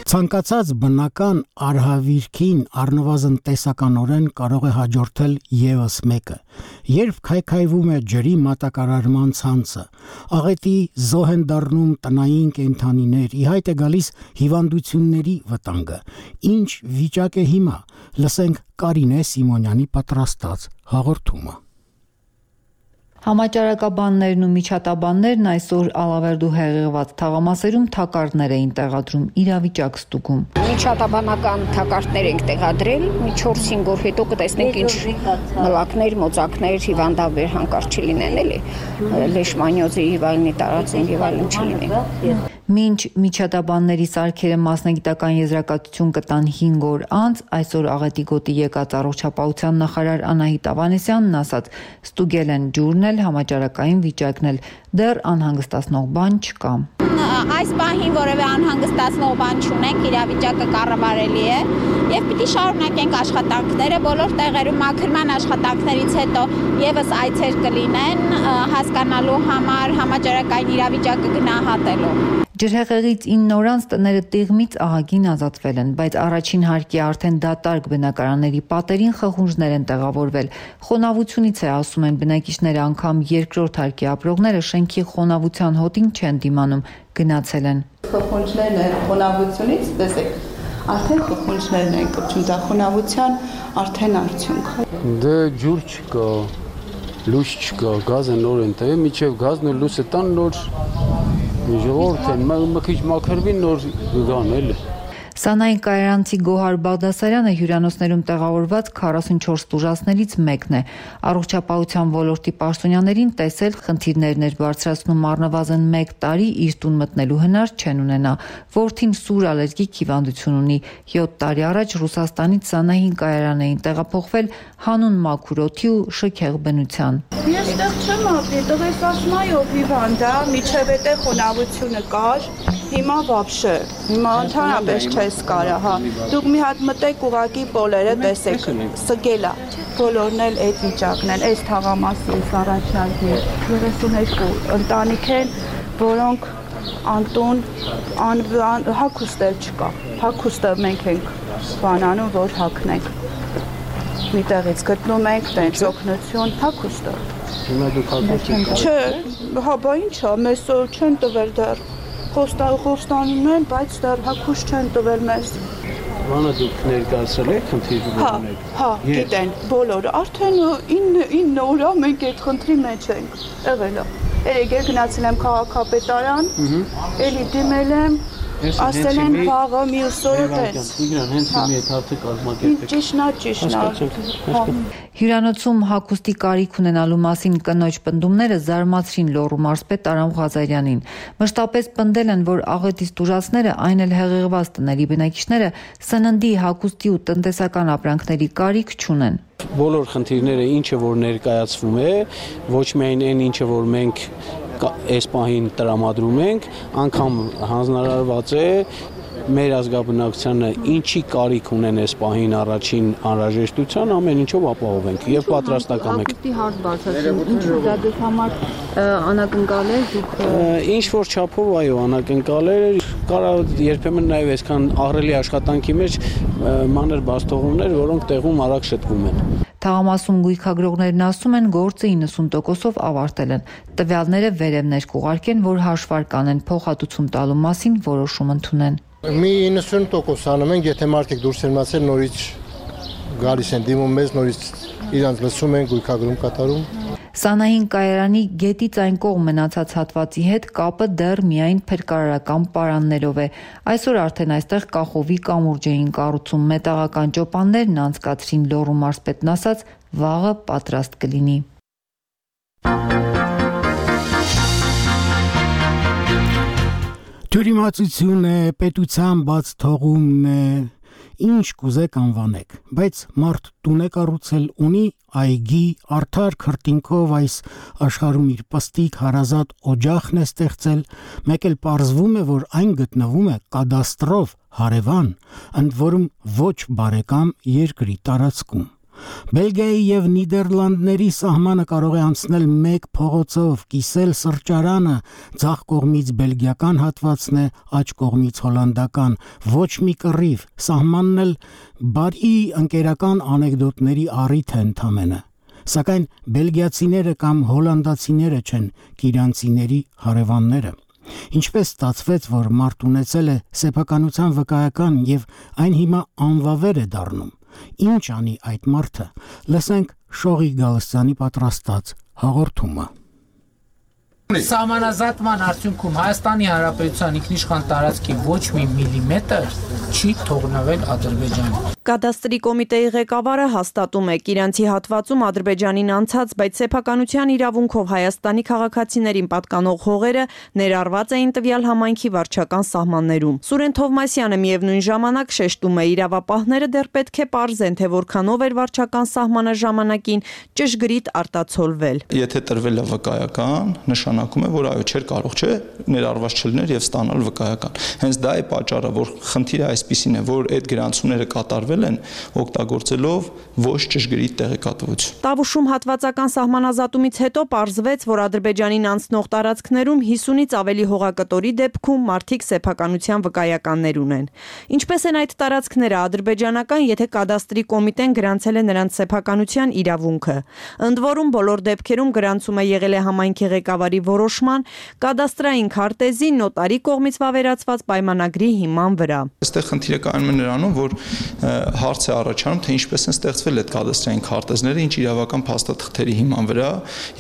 Ցանկացած բնական արհավիրքին առնվազն տեսականորեն կարող է հաջորդել եւս մեկը, երբ քայքայվում է ջրի մատակարարման ցանցը, աղետի զոհ են դառնում տնային կենդանիներ, ի հայտ է գալիս հիվանդությունների վտանգը, ինչ վիճակ է հիմա, լսենք Կարինե Սիմոնյանի պատրաստած հաղորդումը։ Համաճարակաբաններն ու միջատաբաններն այսօր Ալավերդու հեղեղված թաղամասերում թակարդներ էին տեղադրում իրավիճակ ստուգում։ Միջատաբանական թակարդներ ենք տեղադրել, մի 4-5 օր հետո կտեսնենք ինչ մլակներ, մոծակներ, հիվանդաբեր հանկարծ չլինեն, էլի, լեշմանյոզի եւ այլնի տարածում եւ այլն չլինեն։ Մինչ միջատաբանների սարքերը մասնագիտական եզրակացություն կտան 5 օր անց, այսօր աղետի գոտի եկած առողջապահության նախարար Անահիտ Ավանեսյանն ասաց, ստուգել են ջուրն էլ, համաճարակային վիճակն էլ, դեռ անհանգստացնող բան չկա։ Այս պահին որևէ անհանգստացնող բան չունենք, իրավիճակը կառավարելի է եւ պիտի շարունակենք աշխատանքները բոլոր տեղերում մաքրման աշխատանքներից հետո եւս այցեր կլինեն հասկանալու համար համաճարակային իրավիճակը գնահատելու։ Ջրհեղեղից 9 օրանց տները տիղմից ահագին ազատվել են, բայց առաջին հարկի արդեն դատարկ բնակարանների պատերին խխունջներ են տեղավորվել։ Խոնավությունից է, ասում են բնակիչները, անգամ երկրորդ հարկի ապրողները շենքի խոնավության հոտին չեն դիմանում, գնացել են։ Խխունջներն են խոնավությունից, տեսեք, արդեն խխունջներն են կպչում, դա խոնավության արդեն արդյունք։ Դե ջուր չկա, լույս չկա, գազը նոր են տվել, միջև գազն ու լույսը տան նոր Ժողովուրդ են, մի քիչ մաքրվին նոր գան էլի։ Սանային կայարանցի Գոհար Բաղդասարյանը հյուրանոցներում տեղավորված 44 տուժածներից մեկն է։ Առողջապահության ոլորտի պաշտոնյաներին տեսել խնդիրներն էր բարձրացնում առնվազն 1 տարի իր տուն մտնելու հնար չեն ունենա։ Որդին սուր ալերգիկ հիվանդություն ունի։ 7 տարի առաջ Ռուսաստանից Սանային կայարան էին տեղափոխվել հանուն մաքուր օդի ու շքեղ բնության։ Ես այդտեղ չեմ ապրի, տղես ասում այո հիվանդ է, միջև էտե խոնավությունը կար, հիմա вообще, հիմա ընդհանրապես չես կարա, հա։ Դուք մի հատ մտեք ուղակի պոլերը տեսեք, սգելա, բոլորն էլ այդ վիճակն են, այս թաղամասի էս առաջարկի 32 ընտանիք են, որոնք անտուն, հագուստել չկա, հագուստը մենք ենք բանանում, որ հագնենք, միտեղից գտնում ենք, տենց օգնություն, հագուստը։ Հիմա դուք հագուստ Չէ, հա բա ինչա, մեզ չեն տվել դեռ, խոստանում են, բայց դեռ հագուս չեն տվել մեզ։ Բանը դուք ներկայացրել եք խնդիրը ունեք։ Հա, գիտեն, բոլորը, արդեն 9 օր մենք այդ խնդրի մեջ ենք, եղել է։ Եկել գնացել եմ քաղաքապետարան, էլի դիմել եմ, ասել են վաղը մյուս օրը տես։ Իգրան, հենց հիմի այդ հարցը կազմակերպեք։ Ճիշտ։ Հյուրանոցում հագուստի կարիք ունենալու մասին կնոջ պնդումները զարմացրին Լոռու մարզպետ Արամ Ղազարյանին։ Մշտապես պնդել են, որ աղետից տուժածները, այն էլ հեղեղված տների բնակիչները սննդի, հագուստի ու տնտեսական ապրանքների կարիք չունեն։ Բոլոր խնդիրները ինչը որ ներկայացվում է, ոչ միայն այն ինչը որ մենք այս պահին տրամադրում ենք, անգամ հանձնարարված է մեր ազգաբնակչությանը ինչի կարիք ունեն այս պահին առաջին անհրաժեշտության, ամեն ինչով ապահովենք եւ պատրաստական ենք։ Հագուստի հարց բարձրացնում, ինչու դա դուք համար անակնկալ է, դուք ինչ որ չափով այո, անակնկալ է, կարա երբեմն նաեւ այսքան ահռելի աշխատանքի մեջ մանր բաստողումներ, որոնք տեղում արագ շտկում են։ Թաղամասում գույքագրողներն ասում են, գործը 90%-ով ավարտել են։ Տվյալները վերև ներկուղարկեն, որ հաշվար կանեն, փոխհատուցում տալու մասին որոշում ընդունեն։ Մի 90% անում ենք, եթե մարդիկ դուրս են մացել, նորից գալիս են դիմում մեզ, նորից իրանց լսում են, գույքագրում կատարում։ Սանահին կայարանի գետից այն կողմ մնացած հատվածի հետ կապը դեռ միայն փրկարարական պարաններով է։ Այսօր արդեն այստեղ կախովի կամուրջ էին կառուցում, մետաղական ճոպաններն անցկացրին Լոռու մարզպետն ասաց, վաղը պատրաստ կլինի։ Թյուրիմացություն է, պետության բաց թողումն է, ինչ կուզեք անվանեք, բայց մարդ տուն է կառուցել, ունի այգի, արդար քրտինքով այս աշխարհում իր պստիկ հարազատ օջախն է ստեղծել, մեկ էլ պարզվում է, որ այն գտնվում է կադաստրով հարևան, ընդ որում ոչ բարեկամ երկրի տարածքում։ Բելգիայի եւ Նիդերլանդների սահմանը կարող է անցնել մեկ փողոցով, կիսել սրճարանը, ձախ կողմից բելգիական հատվածն է, աջ կողմից հոլանդական, ոչ մի կռիվ, սահմանն էլ բարի ընկերական անեկդոտների առիթ է ընդամենը։ Սակայն բելգիացիները կամ հոլանդացիները չեն կիրանցիների հարևանները։ Ինչպես ստացվեց, որ մարդ ունեցել է սեփականության վկայական եւ այն հիմա անվավեր է դառնում։ Ինչ անի այդ մարդը։ Լսենք Շողի Գալստյանի պատրաստած հաղորդումը։ Սահմանազատման արդյունքում Հայաստանի Հանրապետության ինքնիշխան տարածքի ոչ մի միլիմետր չի թողնվել Ադրբեջանի։ Կադաստրի կոմիտեի ղեկավարը հաստատում է, Կիրանցի հատվածում Ադրբեջանին անցած, բայց սեփականության իրավունքով Հայաստանի քաղաքացիներին պատկանող հողերը ներառված էին տվյալ համայնքի վարչական սահմաններում։ Սուրեն Թովմասյանը միևնույն ժամանակ շեշտում է, իրավապահները դեռ պետք է պարզեն, թե որքանով էր վարչական սահմանը ժամանակին ճշգրիտ արտացոլվել։ Եթե տրվել է վկայական, նշանակում է, որ այո, չէր կարող չէ ներառված չլիներ եւ ստանալ վկայական։ Հենց դա է պատճառը, որ խնդիրը այսպիսին է, որ այդ գրանցումները կատարվել են օգտագործելով ոչ ճշգրիտ տեղեկատվություն։ Տավուշում հատվածական սահմանազատումից հետո պարզվեց, որ Ադրբեջանին անցնող տարածքներում 50-ից ավելի հողակտորի դեպքում մարդիկ սեփականության վկայականներ ունեն։ Ինչպես են այդ տարածքները ադրբեջանական, եթե կադաստրի կոմիտեն գրանցել է նրանց սեփականության իրավունքը։ Ընդ որում բոլոր դեպքերում գրանցումը եղել է համայնքի ղեկավարի որոշման, կադաստրային քարտեզի նոտարի կողմից վավերացված պայմանագրի հիման վրա։ Այստեղ խնդիրը կայանում է նրանում, որ հարց է առաջանում, թե ինչպես են ստեղծվել այդ կադաստրային քարտեզները, ինչ իրավական փաստաթղթերի հիման վրա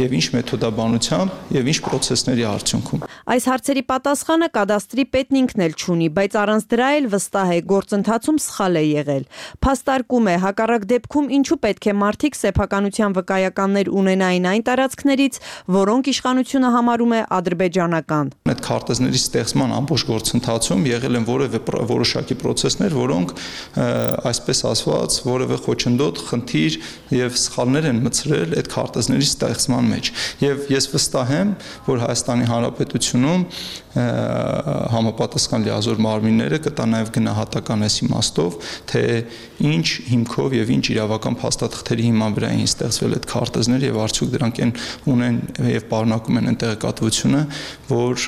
եւ ինչ մեթոդաբանությամբ եւ ինչ պրոցեսների արդյունքում։ Այս հարցերի պատասխանը կադաստրի պետն ինքն էլ չունի, բայց առանց դրա էլ վստահ է, գործընթացում սխալ է եղել։ Փաստարկում է, հակառակ դեպքում ինչու պետք է մարդիկ սեփականության վկայականներ ունենային այն տարածքներից, որոնք իշխանությունը համարում է ադրբեջանական։ Այդ քարտեզների ստեղծման ամբողջ գործընթացում եղել են որևէ որոշակի պրոցեսներ, որոնք այսպես ասված որևէ խոչընդոտ, խնդիր եւ սխալներ են մտցրել այդ քարտեզների ստեղծման մեջ։ Եվ ես վստահ եմ, որ Հայաստանի Հանրապետությունում համապատասխան լիազոր մարմինները կտա նաեւ գնահատական այս իմաստով, թե ինչ հիմքով եւ ինչ իրավական փաստաթղթերի հիման վրա էին ստեղծվել այդ քարտեզները եւ արդյոք դրանք ունեն եւ պարունակում են տեղեկատվությունը, որ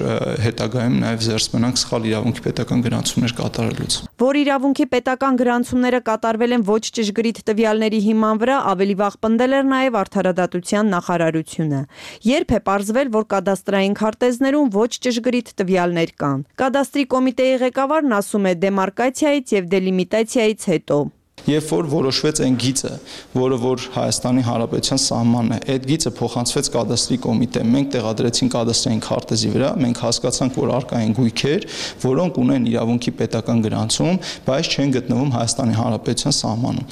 հետագայում նաեւ զերծ մնանք սխալ իրավունքի պետական գրանցումներ կատարելուց։ Որ իրավունքի պետական գրանցումները կատարվել են ոչ ճշգրիտ տվյալների հիման վրա, ավելի վաղ պնդել էր նաեւ Արդարադատության նախարարությունը։ Երբ է պարզվել, որ կադաստրային քարտեզներում ոչ ճշգրիտ տվյալներ կան։ Կադաստրի կոմիտեի ղեկավարն ասում է, դեմարկացիայից եւ դելիմիտացիայից հետո Երբ որ որոշվեց այն գիծը, որը որ Հայաստանի Հանրապետության սահմանն է, այդ գիծը փոխանցվեց կադաստրի կոմիտե, մենք տեղադրեցինք կադաստրային քարտեզի վրա, մենք հասկացանք, որ առկա են գույքեր, որոնք ունեն իրավունքի պետական գրանցում, բայց չեն գտնվում Հայաստանի Հանրապետության սահմանում։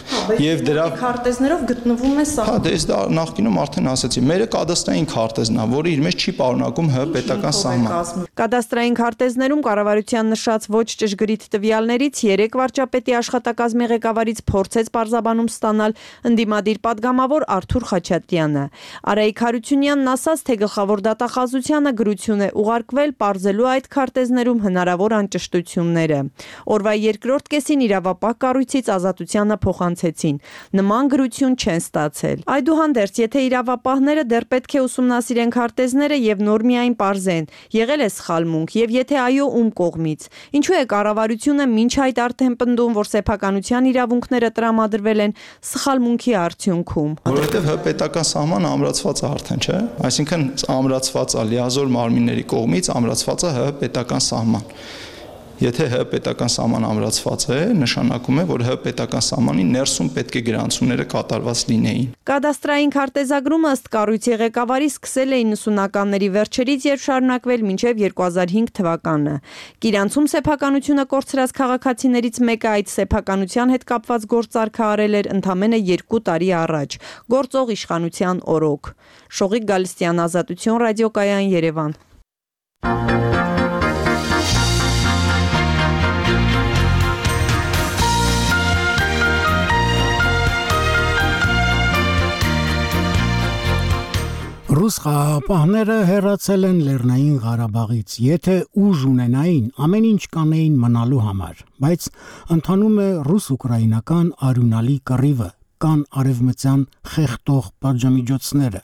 Եվ դրա քարտեզներով գտնվում է սահմանում։ Հա, դե դա նախկինում արդեն ասացի, մերը կադաստրային քարտեզն է, որը իր մեջ չի պարունակում ՀՀ պետական սահման։ Կադաստրային քարտեզներում կառավարության նշած ոչ ճշգրիտ տվյալներից 3 վարչապետի աշխատակազմի ղեկավարից փորձեց պարզաբանում ստանալ ընդդիմադիր падգամավոր Արթուր Խաչատրյանը։ Արայիկ Հարությունյանն ասաց, թե գլխավոր դատախազությանը գրություն է ուղարկվել պարզելու այդ քարտեզներում հնարավոր անճշտությունները։ Օրվա երկրորդ կեսին իրավապահ կառույցից ազատությանը փոխանցեցին։ Նման գրություն չեն ստացել։ Այդուհանդերձ, եթե իրավապահները դեռ պետք է ուսումնասիրեն քարտեզները եւ նոր միայն պարզեն, եղել է սխալմունք եւ եթե այո, ում կողմից։ Ինչու է կառավարությունը մինչ այդ արդեն պնդում, որ սեփականության իրավունքները տրամադրվել են սխալմունքի արդյունքում։ Որովհետեւ պետական սահմանը ամրացված է արդեն, չէ՞։ Այսինքն ամրացված է լիազոր մարմինների կողմից ամրացված է պետական սահման։ Եթե պետական սահման ամրացված է, նշանակում է, որ պետական սահմանի ներսում պետք է գրանցումները կատարված լինեին։ Կադաստրային քարտեզագրումը ըստ կառույցի ղեկավարի սկսել է 90-ականների վերջերից եւ շարունակվել մինչեւ 2005 թվականը։ Գիրանցում սեփականությունը կորցրած քաղաքացիներից մեկը այդ սեփականության հետ կապված գործարքը արել էր ընդամենը 2 տարի առաջ, գործող իշխանության օրոք։ Շողիկ Գալստյան, Ազատություն, ռադիոկայան, Երևան։ Ռուս խաղաղապահները հեռացել են Լեռնային Ղարաբաղից, եթե ուժ ունենային, ամեն ինչ կանեին մնալու համար, բայց ընթանում է ռուս-ուկրաինական արյունալի կռիվը, կան արևմտյան խեղդող պատժամիջոցները։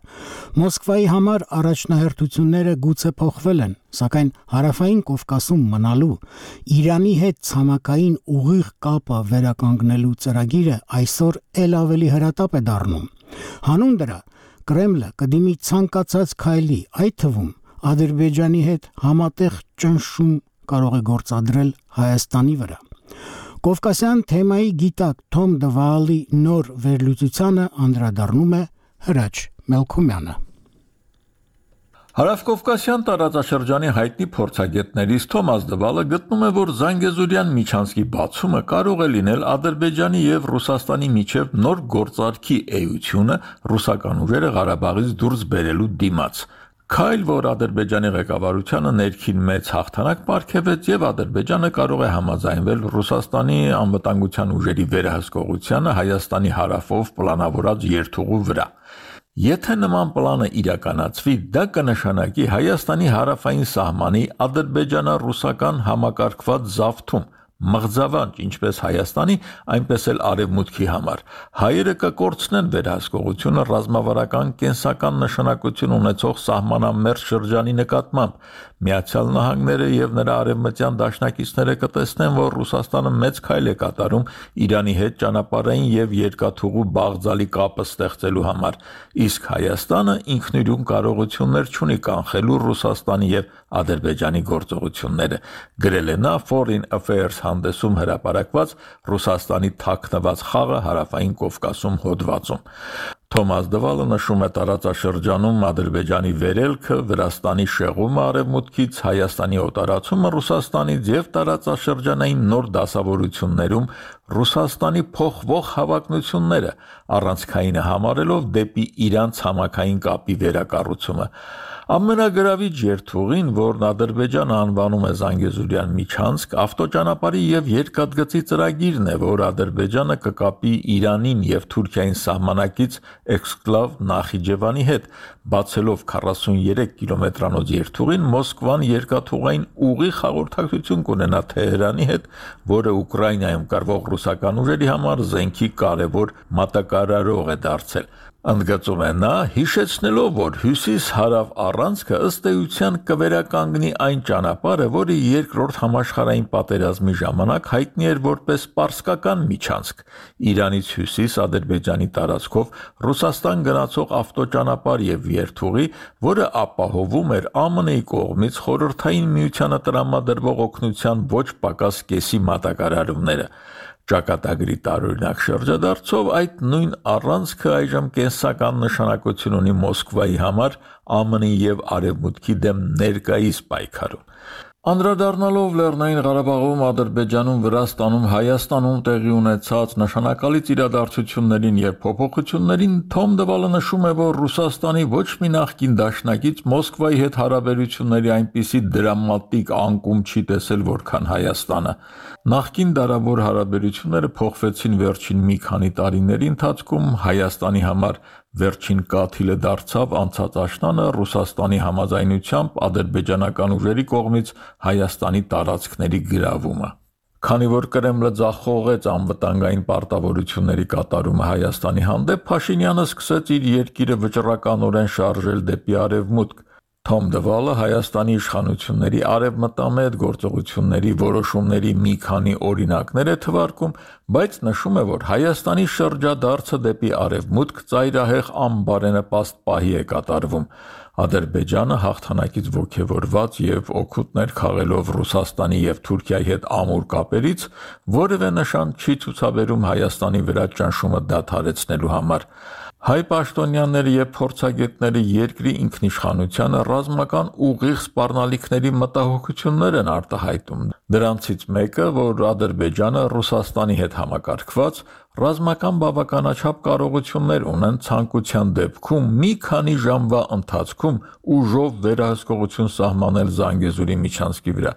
Մոսկվայի համար առաջնահերթությունները գուցե փոխվել են, սակայն հարավային Կովկասում մնալու, Իրանի հետ ցամաքային ուղիղ կապը վերականգնելու ծրագիրը այսօր ել ավելի հրատապ է դառնում։ Հանուն դրա Կրեմլը կդիմի ցանկացած քայլի, այդ թվում Ադրբեջանի հետ համատեղ ճնշում կարող է գործադրել Հայաստանի վրա։ Կովկասյան թեմայի գիտակ Թոմ Դվալի նոր վերլուծությանը անդրադառնում է Հրաչ Մելքումյանը։ Հարավկովկասյան տարածաշրջանի հայտնի փորձագետներից Թոմաս Դվալը գտնում է, որ Զանգեզուրյան միջանցքի բացումը կարող է լինել Ադրբեջանի եւ Ռուսաստանի միջև նոր գործարքի էությունը ռուսական ուժերը Ղարաբաղից դուրս բերելու դիմաց։ Քայլ, որ Ադրբեջանի ղեկավարությանը ներքին մեծ հաղթանակ պարգևեց եւ Ադրբեջանը կարող է համաձայնվել Ռուսաստանի անվտանգության ուժերի վերահսկողությանը Հայաստանի հարավով պլանավորած երթուղու վրա։ Եթե նման պլանը իրականացվի, դա կնշանակի Հայաստանի հարավային սահմանի ադրբեջանա-ռուսական համակարգված զավթում, մղձավանջ ինչպես Հայաստանի, այնպես էլ Արևմուտքի համար։ Հայերը կկորցնեն վերահսկողությունը ռազմավարական կենսական նշանակություն ունեցող սահմանամերձ շրջանի նկատմամբ։ Միացյալ Նահանգները եւ նրա արևմտյան դաշնակիցները կտեսնեն, որ Ռուսաստանը մեծ քայլ է կատարում Իրանի հետ ճանապարհային եւ երկաթուղու բաղձալի կապը ստեղծելու համար, իսկ Հայաստանը ինքնուրույն կարողություններ չունի կանխելու Ռուսաստանի եւ Ադրբեջանի գործողությունները, գրել է նա Foreign Affairs հանդեսում հրապարակված Ռուսաստանի թաքնված խաղը հարավային Կովկասում հոդվածում։ Թոմաս Դվալը նշում է տարածաշրջանում Ադրբեջանի վերելքը, Վրաստանի շեղումը արևմուտքից, Հայաստանի օտարացումը Ռուսաստանից եւ տարածաշրջանային նոր դասավորություններում Ռուսաստանի փոխվող հավակնությունները առանցքայինը համարելով դեպի Իրան ցամաքային կապի վերակառուցումը։ Ամենագրավիչ երթուղին, որն Ադրբեջանը անվանում է Զանգեզուրյան միջանցք, ավտոճանապարհի եւ երկաթգծի ծրագիրն է, որ Ադրբեջանը կկապի Իրանին եւ Թուրքիային սահմանակից էքսկլավ Նախիջևանի հետ, բացելով 43 կիլոմետրանոց երթուղին Մոսկվան երկաթուղային ուղիղ հաղորդակցություն կունենա Թեհրանի հետ, որը Ուկրաինայում կռվող ռուսական ուժերի համար զենքի կարևոր մատակարարող է դարձել։ Ընդգծում է նա, հիշեցնելով, որ հյուսիս-հարավ առանցքը ըստ էության կվերականգնի այն ճանապարհը, որը երկրորդ համաշխարհային պատերազմի ժամանակ հայտնի էր որպես պարսկական միջանցք, Իրանից հյուսիս Ադրբեջանի տարածքով Ռուսաստան գնացող ավտոճանապարհ եւ երթուղի, որը ապահովում էր ԱՄՆ-ի կողմից Խորհրդային Միությանը տրամադրվող օգնության ոչ պակաս կեսի մատակարարումները։ Ճակատագրի տարօրինակ շրջադարձով այդ նույն առանցքը այժմ կենսական նշանակություն ունի Մոսկվայի համար ԱՄՆ-ի եւ Արևմուտքի դեմ ներկայիս պայքարում։ Անդրադառնալով Լեռնային Ղարաբաղում, Ադրբեջանում, Վրաստանում, Հայաստանում տեղի ունեցած նշանակալից իրադարձություններին եւ փոփոխություններին, Թոմ Դվալը նշում է, որ Ռուսաստանի ոչ մի նախկին դաշնակից Մոսկվայի հետ հարաբերությունների այնպիսի դրամատիկ անկում չի տեսել, որքան Հայաստանը։ Նախկին դարավոր հարաբերությունները փոխվեցին վերջին մի քանի տարիների ընթացքում, Հայաստանի համար վերջին կաթիլը դարձավ անցած աշնանը Ռուսաստանի համաձայնությամբ ադրբեջանական ուժերի կողմից Հայաստանի տարածքների գրավումը։ Քանի որ Կրեմլը ձախողեց անվտանգային պարտավորությունների կատարումը Հայաստանի հանդեպ, Փաշինյանը սկսեց իր երկիրը վճռականորեն շարժել դեպի արևմուտք։ Թոմ Դվալը Հայաստանի իշխանությունների արևմտամետ գործողությունների որոշումների մի քանի օրինակներ է թվարկում, բայց նշում է, որ Հայաստանի շրջադարձը դեպի արևմուտք ծայրահեղ անբարենպաստ պահի է կատարվում։ Ադրբեջանը հաղթանակից ոգևորված եւ օգուտներ խաղելով Ռուսաստանի եւ Թուրքիայի հետ ամուր կապերից որևէ նշան չի ցուցաբերում Հայաստանի վրա ճնշումը դադարեցնելու համար։ Հայ պաշտոնյաները եւ փորձագետները երկրի ինքնիշխանությանը ռազմական ուղիղ սպառնալիքների մտահոգություններ են արտահայտում։ Դրանցից մեկը, որ Ադրբեջանը Ռուսաստանի հետ համակարգված ռազմական բավականաչափ կարողություններ ունեն ցանկության դեպքում մի քանի ժամվա ընթացքում ուժով վերահսկողություն սահմանել Զանգեզուրի միջանցքի վրա։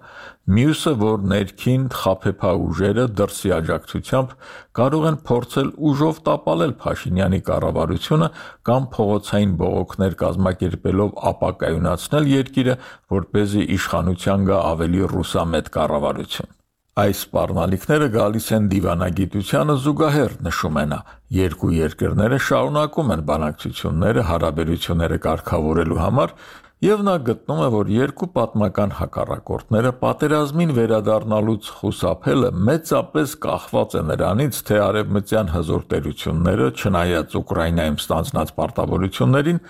Մյուսը, որ ներքին խաբեբա ուժերը դրսի աջակցությամբ կարող են փորձել ուժով տապալել Փաշինյանի կառավարությունը կամ փողոցային բողոքներ կազմակերպելով ապակայունացնել երկիրը, որպեսզի իշխանության գա ավելի ռուսամետ կառավարություն։ Այս սպառնալիքները գալիս են դիվանագիտությանը զուգահեռ, նշում է նա։ Երկու երկրները շարունակում են բանակցությունները հարաբերությունները կարգավորելու համար եւ նա գտնում է, որ երկու պատմական հակառակորդները պատերազմին վերադառնալուց խուսափելը մեծապես կախված է նրանից, թե արևմտյան հզոր տերությունները, չնայած Ուկրաինայում ստանձնած պարտավորություններին,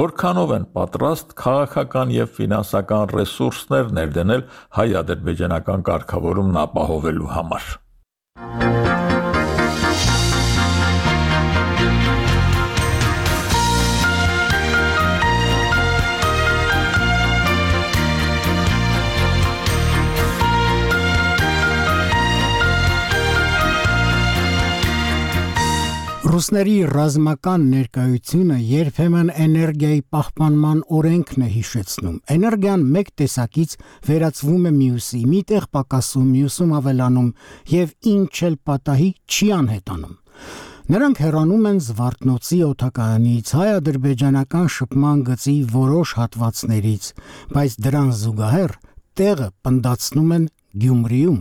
որքանով են պատրաստ քաղաքական եւ ֆինանսական ռեսուրսներ ներդնել հայ-ադրբեջանական կարգավորումն ապահովելու համար։ Ռուսների ռազմական ներկայությունը երբեմն էներգիայի պահպանման օրենքն է հիշեցնում։ Էներգիան մեկ տեսակից վերածվում է մյուսի, միտեղ պակասում, մյուսում ավելանում եւ ինչ էլ պատահի չի անհետանում։ Նրանք հեռանում են Զվարթնոցի օդակայանից, հայ-ադրբեջանական շփման գծի որոշ հատվածներից, բայց դրան զուգահեռ տեղը պնդացնում են Գյումրիում։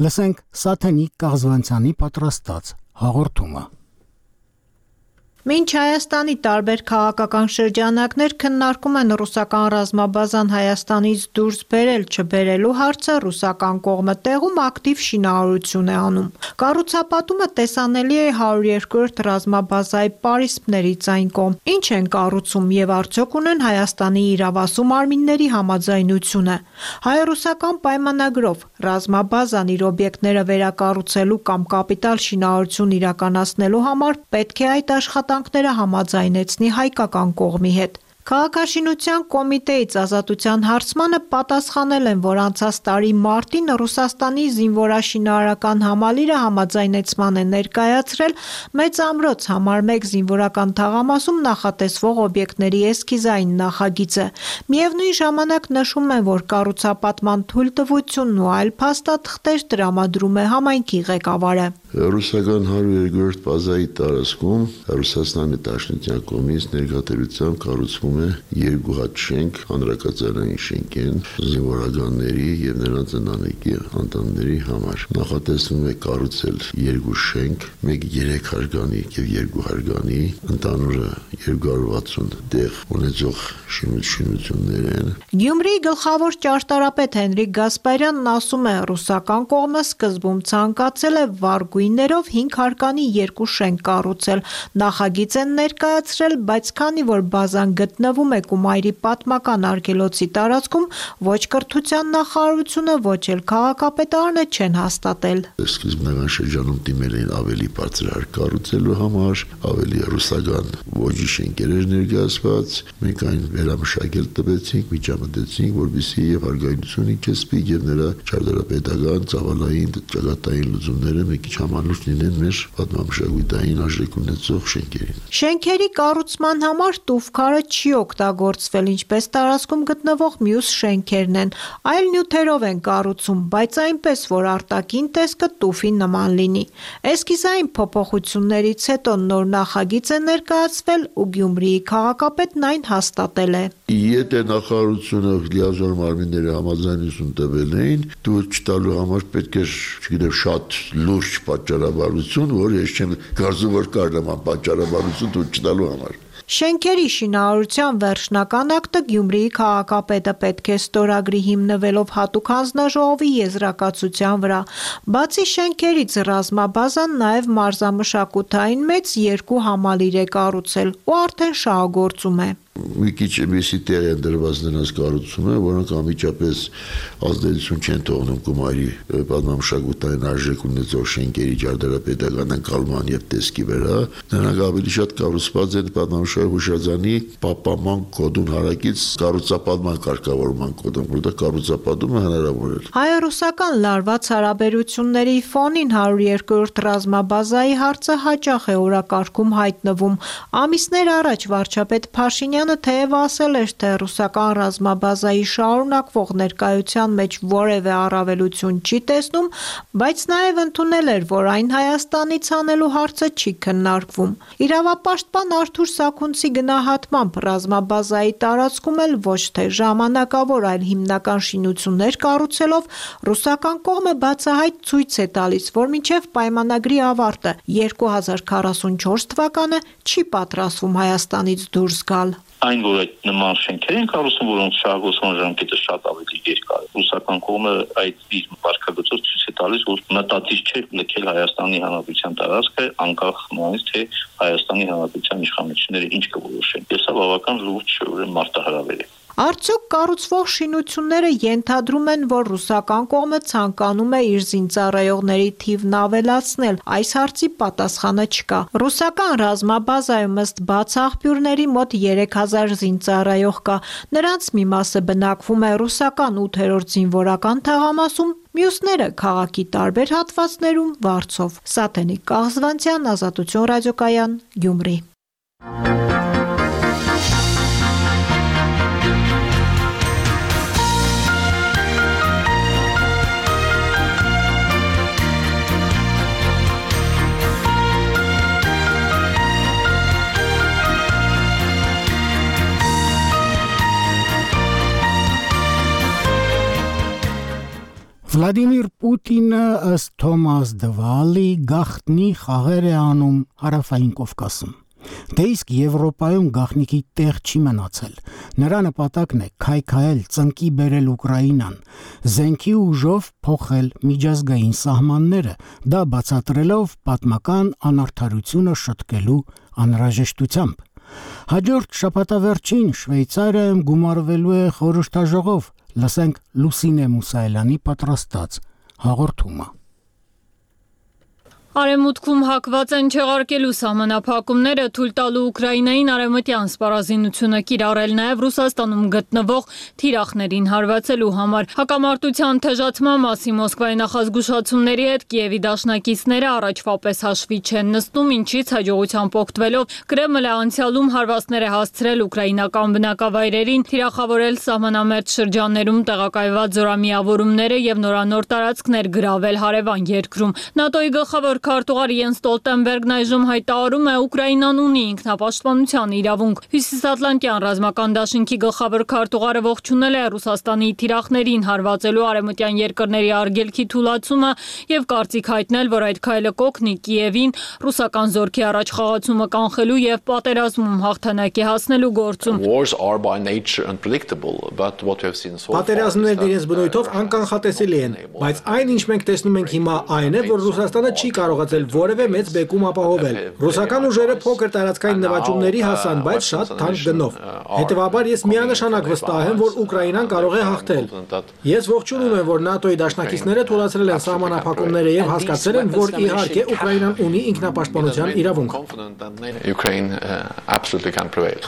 Լսենք Սաթենիկ Կաղզվանցյանի պատրաստած հաղորդումը։ Մինչ Հայաստանի տարբեր քաղաքական շրջանակներ քննարկում են ռուսական ռազմաբազան Հայաստանից դուրս բերել չբերելու հարցը, ռուսական կողմը տեղում ակտիվ շինարարություն է անում։ Կառուցապատումը տեսանելի է 102-րդ ռազմաբազայի պարիսպներից այն կողմ։ Ինչ են կառուցում եւ արդյոք ունեն Հայաստանի իրավասու մարմինների համաձայնությունը։ Հայ-ռուսական պայմանագրով ռազմաբազան իր օբյեկտները վերակառուցելու կամ կապիտալ շինարարություն իրականացնելու համար պետք է այդ աշխատանքները համաձայնեցնի հայկական կողմի հետ։ Քաղաքաշինության կոմիտեից ազատության հարցմանը պատասխանել են, որ անցած տարի մարտին Ռուսաստանի զինվորաշինարարական համալիրը համաձայնեցման է ներկայացրել Մեծ ամրոց համար 1 զինվորական թաղամասում նախատեսվող օբյեկտների էսքիզային նախագիծը։ Միևնույն ժամանակ նշում են, որ կառուցապատման թույլտվությունն ու այլ փաստաթղթեր տրամադրում է համայնքի ղեկավարը։ Ռուսական 102-րդ բազայի տարածքում Ռուսաստանի Դաշնության կողմից ներկայացությամբ կառուցվում է 2 հատ շենք, հանրակացարային շենք են զինվորականների եւ նրանց ընտանիքի անդամների համար։ Նախատեսվում է կառուցել 2 շենք, մեկ 3 հարկանի եւ 2 հարկանի, ընդհանուրը 260 տեղ ունեցող շինություններ են։ Գյումրիի գլխավոր ճարտարապետ Հենրիկ Գասպարյանն ասում է, ռուսական կողմը սկզբում ցանկացել է վարգույններով 5 հարկանի 2 շենք կառուցել։ Նախագիծ են ներկայացրել, բայց քանի որ բազան գտնվում է Կումայրի պատմական արգելոցի տարածքում, ոչ կրթության նախարարությունը, ոչ էլ քաղաքապետարանը չեն հաստատել։ Սկզբնական շրջանում դիմել են ավելի բարձր հարկ կառուցելու համար, ավելի ռուսական ոճի շենքեր ներկայացված, մենք այն վերամշակել տվեցինք, միջամտեցինք, որպեսզի եւ հարգայնությունը կեսպի եւ նրա ճարտարապետական, ծավալային, ճակատային լուծումները մի քիչ համանուշ լինեն մեր պատմամշակութային արժեք ունեցող շենքերին։ Շենքերի կառուցման համար տուֆքարը չի օգտագործվել, ինչպես տարածքում գտնվող մյուս շենքերն են, այլ նյութերով են կառուցում, բայց այնպես, որ արտաքին տեսքը տուֆի նման լինի։ Էսքիզային փոփոխություններից հետո նոր նախագիծ է ներկայացվել ու Գյումրիի քաղաքապետն այն հաստատել է։ Եթե նախարարությունը լիազոր մարմինները համաձայնություն տվել էին, դու չտալու համար պետք է, չգիտեմ, շատ լուրջ պատճառաբանություն, որ ես չեմ կարծում, որ կար նման պատճառաբանություն դու չտալու համար։ Շենքերի շինարարության վերջնական ակտը Գյումրիի քաղաքապետը պետք է ստորագրի հիմնվելով հատուկ հանձնաժողովի եզրակացության վրա։ Բացի շենքերից ռազմաբազան նաև մարզամշակութային մեծ 2 համալիր է կառուցել ու արդեն շահագործում է։ Մի քիչ միսի տեղ են դրված նրանց կառուցումը, որոնք անմիջապես ազդեցություն չեն թողնում գումարի պատմամշակութային արժեք ունեցող շենքերի ջրդարապետական ընկալման եւ տեսքի վրա։ Նրանք ավելի շատ կառուցված են պատմամշակութային հուշարձանի պահպանման կոդուն հարակից կառուցապատման կարգավորման կոդում, որտեղ կառուցապատումը հնարավոր է։ Հայ-ռուսական լարված հարաբերությունների ֆոնին 102-րդ ռազմաբազայի հարցը հաճախ է օրակարգում հայտնվում։ Ամիսներ առաջ վարչապետ Փաշինյանը թեև ասել էր, թե ռուսական ռազմաբազայի շարունակվող ներկայության մեջ որևէ առավելություն չի տեսնում, բայց նաև ընդունել էր, որ այն Հայաստանից անելու հարցը չի քննարկվում։ Իրավապաշտպան Արթուր Սաքունցի գնահատմամբ ռազմաբազայի տարածքում էլ ոչ թե ժամանակավոր, այլ հիմնական շինություններ կառուցելով ռուսական կողմը բացահայտ ցույց է տալիս, որ մինչև պայմանագրի ավարտը 2044 թվականը չի պատրաստվում Հայաստանից դուրս գալ։ Այն, որ այդ նման շենքեր են կառուցում, որոնց շահագործման ժամկետը շատ ավելի երկար է։ Ռուսական կողմը այդ իր վարկագծով ցույց է տալիս, որ մտածիչ չէ լքել Հայաստանի Հանրապետության տարածքը, անկախ նրանից, թե Հայաստանի Հանրապետության իշխանությունները ինչ կորոշեն։ Ես սա բավական լուրջ մարտահրավեր է։ Արդյոք կառուցվող շինությունները ենթադրում են, որ ռուսական կողմը ցանկանում է իր զինծառայողների թիվն ավելացնել։ Այս հարցի պատասխանը չկա։ Ռուսական ռազմաբազայում ըստ բաց աղբյուրների մոտ 3000 զինծառայող կա։ Նրանց մի մասը բնակվում է ռուսական 8-րդ զինվորական թաղամասում, մյուսները քաղաքի տարբեր հատվածներում վարձով։ Սաթենիկ Կաղզվանցյան, Ազատություն ռադիոկայան, Գյումրի։ Վլադիմիր Պուտինը ըստ Թոմաս Դվալի գաղտնի խաղեր է անում Հարավային Կովկասում։ Դե իսկ Եվրոպայում գաղտնիքի տեղ չի մնացել։ Նրա նպատակն է քայքայել, ծնկի բերել Ուկրաինան, զենքի ուժով փոխել միջազգային սահմանները, դա բացատրելով պատմական անարդարությունը շտկելու անհրաժեշտությամբ։ Հաջորդ շաբաթավերջին Շվեյցարիայում գումարվելու է խորհրդաժողով։ Լսենք Լուսինե Մուսայելյանի պատրաստած հաղորդումը։ Արևմուտքում հակված են չեղարկելու սահմանափակումները թույլ տալու Ուկրաինային արևմտյան սպառազինությունը կիրառել նաև Ռուսաստանում գտնվող թիրախներին հարվածելու համար։ Հակամարտության թեժացման մասին Մոսկվայի նախազգուշացումների հետ Կիևի դաշնակիցները առաջվա պես հաշվի չեն նստում, ինչից հաջողությամբ օգտվելով Կրեմլը անցյալում հարվածներ է հասցրել ուկրաինական բնակավայրերին, թիրախավորել սահմանամերձ շրջաններում տեղակայված զորամիավորումները եւ նորանոր տարածքներ գրավել հարևան երկրում։ ՆԱՏՕ-ի գլխավոր քարտուղար Յենս Ստոլտենբերգն այժմ հայտարարում է Ուկրաինան ունի ինքնապաշտպանության իրավունք։ Հյուսիսատլանտյան ռազմական դաշինքի գլխավոր քարտուղարը ողջունել է Ռուսաստանի թիրախներին հարվածելու արևմտյան երկրների արգելքի թուլացումը եւ կարծիք հայտնել, որ այդ քայլը կօգնի Կիևին ռուսական զորքի առաջ խաղացումը կանխելու եւ պատերազմում հաղթանակի հասնելու գործում։ Պատերազմներն իրենց բնույթով անկանխատեսելի են, բայց այն, ինչ մենք տեսնում ենք հիմա, այն է, որ Ռուսաստանը չի կարողացել որևէ մեծ բեկում ապահովել։ Ռուսական ուժերը փոքր տարածքային նվաճումների հասան, բայց շատ թանկ գնով։ Հետևաբար ես միանշանակ վստահ եմ, որ Ուկրաինան կարող է հաղթել։ Ես ողջունում եմ, որ ՆԱՏՕ-ի դաշնակիցները թույլատրել են սահմանափակումները եւ հասկացել են, որ իհարկե Ուկրաինան ունի ինքնապաշտպանության իրավունք։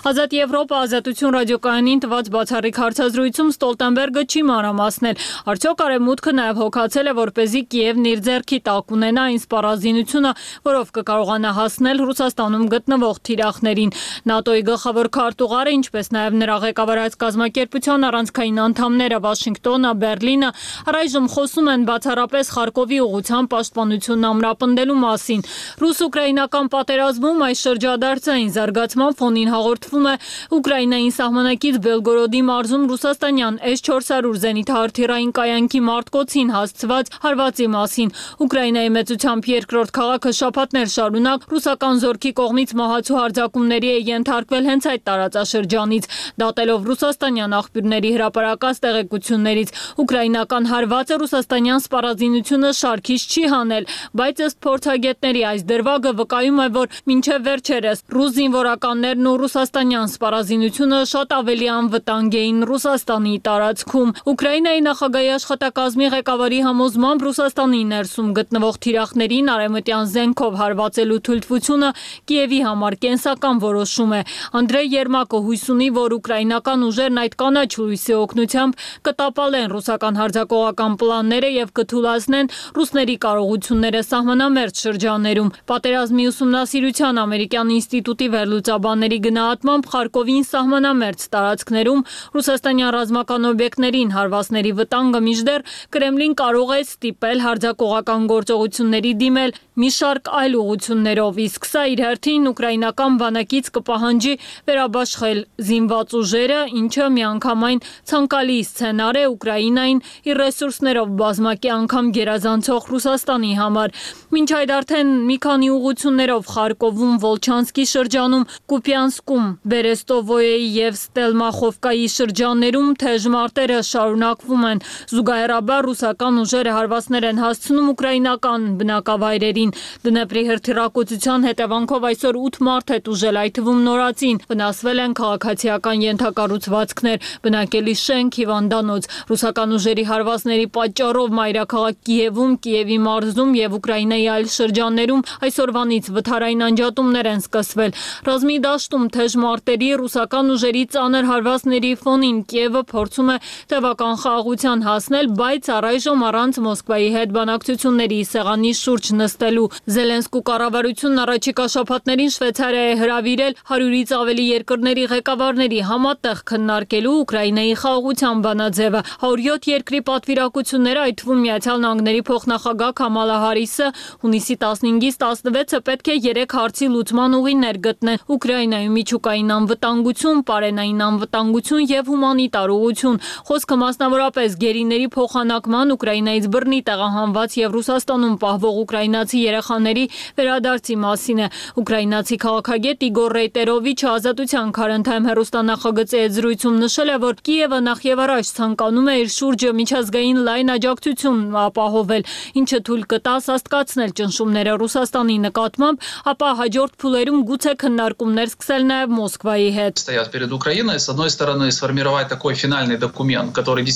Ազատ Եվրոպա ազատություն ռադիոկայանին տված բացառիկ հարցազրույցում Ստոլտենբերգը չի մանրամասնել։ Արդյոք Արևմուտքը նաև հոգացել է, որպեսզի Կիևն իր ձեռքի տակ ունենա այն սպառազինությունը, որով կկարողանա հասնել Ռուսաստանում գտնվող թիրախներին։ ՆԱՏՕ-ի գլխավոր քարտուղարը, ինչպես նաև նրա ղեկավարած կազմակերպության առանցքային անդամները Վաշինգտոնը, Բերլինը առայժմ խոսում են բացառապես Խարկովի ուղղությամբ պաշտպանությունն ամրապնդելու մասին։ Ռուս-ուկրաինական պատերազմում այս շրջադարձային զարգացման ֆոնին հաղորդվում է Ուկրաինային սահմանակից Բելգորոդի մարզում ռուսաստանյան S-400 զենիթահրթիռային կայանքի մարտկոցին հասցված հարվածի մասին։ Ուկրաինայի մեծությամբ երկրորդ քաղաքը շաբաթներ շարունակ ռուսական զորքի կողմից մահացու հարձակումների է ենթարկվել հենց այդ տարածաշրջանից։ Դատելով ռուսաստանյան աղբյուրների հրապարակած տեղեկություններից, ուկրաինական հարվածը ռուսաստանյան սպառազինությունը շարքից չի հանել, բայց ըստ փորձագետների այս դրվագը վկայում է, որ մինչև վերջերս ռուս զինվորականներն ու ռուսաստանյան սպառազինությունը շատ ավելի անվտանգ էին Ռուսաստանի տարածքում։ Ուկրաինայի նախագահի աշխատակազմի ղեկավարի համոզմամբ Ռուսաստանի ներսում գտնվող թիրախներին արևմտյան զենքով հարվածելու թույլտվությունը Կիևի համար կենսական որոշում է։ Անդրեյ Երմակը հույս ունի, որ ուկրաինական ուժերն այդ կանաչ լույսի օգնությամբ կտապալեն ռուսական հարձակողական պլանները եւ կթույլատնեն ռուսների կարողությունները սահմանամերձ շրջաններում։ Պատերազմի ուսումնասիրության ամերիկյան ինստիտուտի վերլուծաբանների գնահատմամբ Խարկովին սահմանամերձ տարածքներում ռուսաստանյան ռազմական օբյեկտներին հարվածների վտանգը մինչդեռ Կրեմլին կարող է ստիպել հարձակողական գործողությունների դիմել մի շարք այլ ուղղություններով, իսկ սա իր հերթին ուկրաինական բանակից կպահանջի վերաբաշխել զինված ուժերը, ինչը միանգամայն ցանկալի սցենար է Ուկրաինային իր ռեսուրսներով բազմակի անգամ գերազանցող Ռուսաստանի համար։ Մինչ այդ արդեն մի քանի ուղղություններով Խարկովում, Վոլչանսկի շրջանում, Կուպյանսկում, Բերեստովոյեի եւ Ստելմախովկայի շրջաններում թեժ մարտերը շարունակվում են։ Զուգահեռաբար ռուսական ուժերը հարվածներ են հասցնում ուկրաինական բնակավայրերին։ Դնեպրի հրթիռակոծության հետևանքով այսօր 8 մարդ է տուժել, այդ թվում նորածին։ Վնասվել են քաղաքացիական ենթակառուցվածքներ, բնակելի շենք, հիվանդանոց։ Ռուսական ուժերի հարվածների պատճառով մայրաքաղաք Կիևում, Կիևի մարզում եւ Ուկրաինայի այլ շրջաններում այսօրվանից վթարային անջատումներ են սկսվել։ Ռազմի դաշտում թեժ մարտերի ռուսական ուժերի ծանր հարվածների ֆոնին Կիևը փորձում է տևական խաղաղության հասնել, բայց առայժմ առանց Մոսկվայի հետ բանակցությունների սեղանի շուրջ նստելու։ Զելենսկու կառավարությունն առաջիկա շաբաթներին Շվեյցարիա է հրավիրել 100-ից ավելի երկրների ղեկավարների համատեղ քննարկելու Ուկրաինայի խաղաղության բանաձևը։ 107 երկրի պատվիրակությունները, այդ թվում Միացյալ Նահանգների փոխնախագահ Քամալա Հարիսը, հունիսի 15-ից 16-ը պետք է 3 հարցի լուծման ուղիներ գտնեն Ուկրաինայում միջուկային անվտանգություն, պարենային անվտանգություն եւ հումանիտար ուղղություն։ Խոսքը մասնավորապես գերիների փոխանակման, Ուկրաինայից բռնի տեղահանված եւ Ռուսաստանում պահվող ուկրաինացի երեխաների վերադարձի մասին է։ Ուկրաինացի քաղաքագետ Իգոր Ռեյտերովիչը Ազատության քարընթայում հեռուստանախագծի հետ զրույցում նշել է, որ Կիևը նախ եւ առաջ ցանկանում է իր շուրջը միջազգային լայն աջակցություն ապահովել, ինչը թույլ կտա սաստկացնել ճնշումները Ռուսաստանի նկատմամբ, ապա հաջորդ փուլերում գուցե քննարկումներ սկսել նաեւ Մոսկվայի հետ։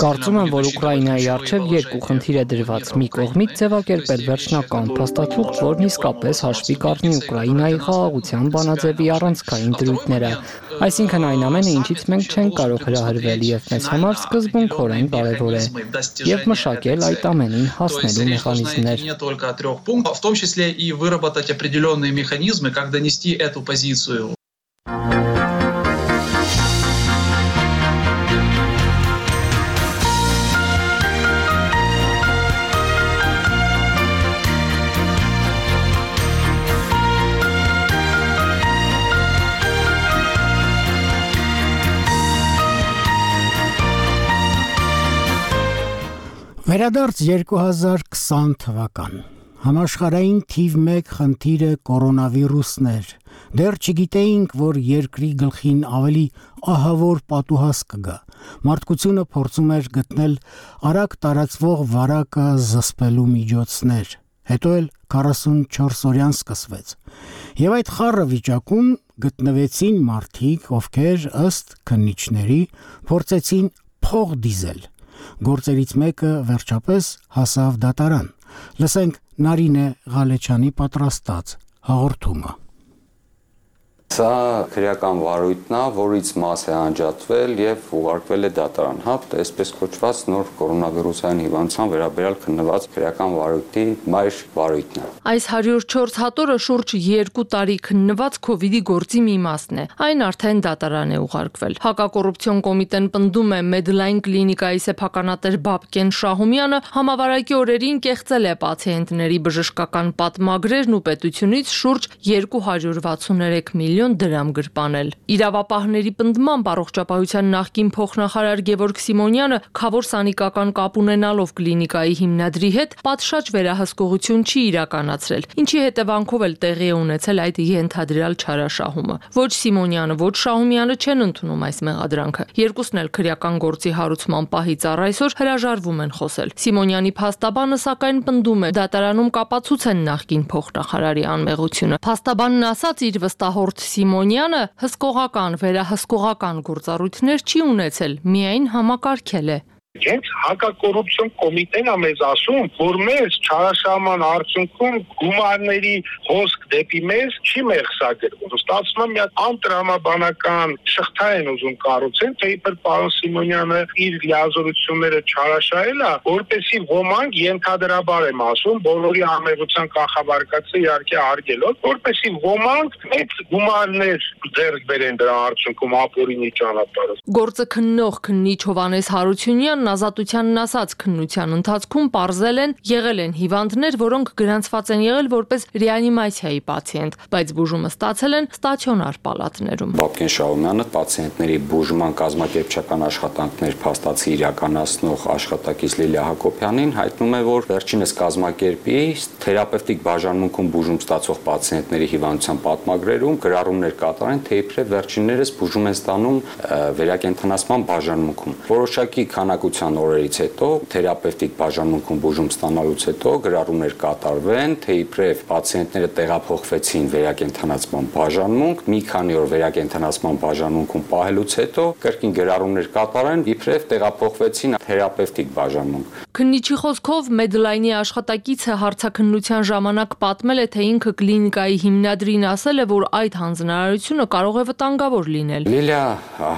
Կարծում եմ, որ Ուկրաինայի առջև երկու խնդիր է դրված՝ մի կողմից ձևակերպել վերջնական փաստաթուղթ, որն իսկապես հաշվի կառնի Ուկրաինայի խաղաղության բանաձևի առանցքային դրույթները, այսինքն այն ամենը, ինչից մենք չենք կարող հրահրվել եւ մեզ համար սկզբունքորեն կարեւոր է, եւ մշակել այդ ամենին հասնելու մեխանիզմներ։ В том числе и выработать определенные механизмы, как донести эту позицию. Վերադարձ 2020 թվական։ Համաշխարհային թիվ 1 խնդիրը կորոնավիրուսն էր։ Դեռ չգիտեինք, որ երկրի գլխին ավելի ահավոր պատուհաս կգա։ Մարդկությունը փորձում էր գտնել արագ տարածվող վարակը զսպելու միջոցներ։ Հետո էլ 44-օրյան սկսվեց։ Եվ այդ խառը վիճակում գտնվեցին մարդիկ, ովքեր ըստ քննիչների փորձեցին փող դիզել։ Գործերից մեկը վերջապես հասավ դատարան։ Լսենք Նարինե Ղալեչյանի պատրաստած հաղորդումը։ Սա քրեական վարույթն է, որից մաս է անջատվել եւ ուղարկվել է դատարան, այսպես կոչված նոր կորոնավիրուսային հիվանդության վերաբերյալ քննված քրեական վարույթի մայր վարույթն է։ Այս 104 հատորը շուրջ 2 տարի քննված COVID-ի գործի մի մասն է։ Այն արդեն դատարան է ուղարկվել։ Հակակոռուպցիոն կոմիտեն պնդում է Medline կլինիկայի սեփականատեր Բաբկեն Շահումյանը համավարակի օրերին կեղծել է պացիենտների բժշկական պատմագրերն ու պետությունից շուրջ 263 միլիոն միլիոն դրամ գրպանել։ Իրավապահների պնդմամբ առողջապահության նախկին փոխնախարար Գևորգ Սիմոնյանը քավոր սանիկական կապ ունենալով կլինիկայի հիմնադրի հետ պատշաճ վերահսկողություն չի իրականացրել, ինչի հետևանքով էլ տեղի է ունեցել այդ ենթադրյալ չարաշահումը։ Ոչ Սիմոնյանը, ոչ Շահումյանը չեն ընդունում այս մեղադրանքը։ Երկուսն էլ քրեական գործի հարուցման պահից առ այսօր հրաժարվում են խոսել։ Սիմոնյանի փաստաբանը սակայն պնդում է, դատարանում կապացուցեն նախկին փոխնախարարի անմեղությունը։ Փաստաբանն ասաց, իր վստահորդ Սիմոնյանը հսկողական, վերահսկողական գործառույթներ չի ունեցել, միայն համակարգել է։ Հենց հակակոռուպցիոն կոմիտեն է մեզ ասում, որ մեզ չարաշահման արդյունքում գումարների հոսք դեպի մեզ չի մեղսագրվում։ Ստացվում է մի հատ անտրամաբանական շղթա են ուզում կառուցեն, թե իբր պարոն Սիմոնյանը իր լիազորությունները չարաշահել է, որպեսզի ոմանք ենթադրաբար եմ ասում, բոլորի ամեղության կանխավարկածը իհարկե արգելով, որպեսզի ոմանք մեծ գումարներ ձեռք բերեն դրա արդյունքում ապօրինի ճանապարհով։ Գործը քննող քննիչ Հովհաննես Հարությունյանն ազատությանն ասաց, քննության ընթացքում պարզել են, եղել են հիվանդներ, որոնք գրանցված են եղել որպես ռեանիմացիայի պացիենտ, բայց բուժումը ստացել են ստացիոնար պալատներում։ Բաբկեն Շահումյանը պացիենտների բուժման կազմակերպչական աշխատանքներ փաստացի իրականացնող աշխատակից Լիլիա Հակոբյանին հայտնում է, որ վերջինս կազմակերպի թերապևտիկ բաժանմունքում բուժում ստացող պացիենտների հիվանդության պատմագրերում գրառումներ կատարեն, թե իբրև վերջիններս բուժում են ստանում վերակենդանացման բաժանմունքում։ Որոշակի քանակության օրերից հետո թերապևտիկ բաժանմունքում բուժում ստանալուց հետո գրառումներ կատարվեն, թե իբրև պացիենտները տեղափոխվեցին վերակենդանացման բաժանմունք, մի քանի օր վերակենդանացման բաժանմունքում պահելուց հետո կրկին գրառումներ կատարեն, իբրև տեղափոխվեցին թերապևտիկ բաժանմունք։ Քննիչի խոսքով Medline-ի աշխատակիցը հարցաքննության ժամանակ պատմել է, թե ինքը կլինիկայի հիմնադրին ասել է, որ այդ հանձնարարությունը կարող է վտանգավոր լինել։ Լիլիա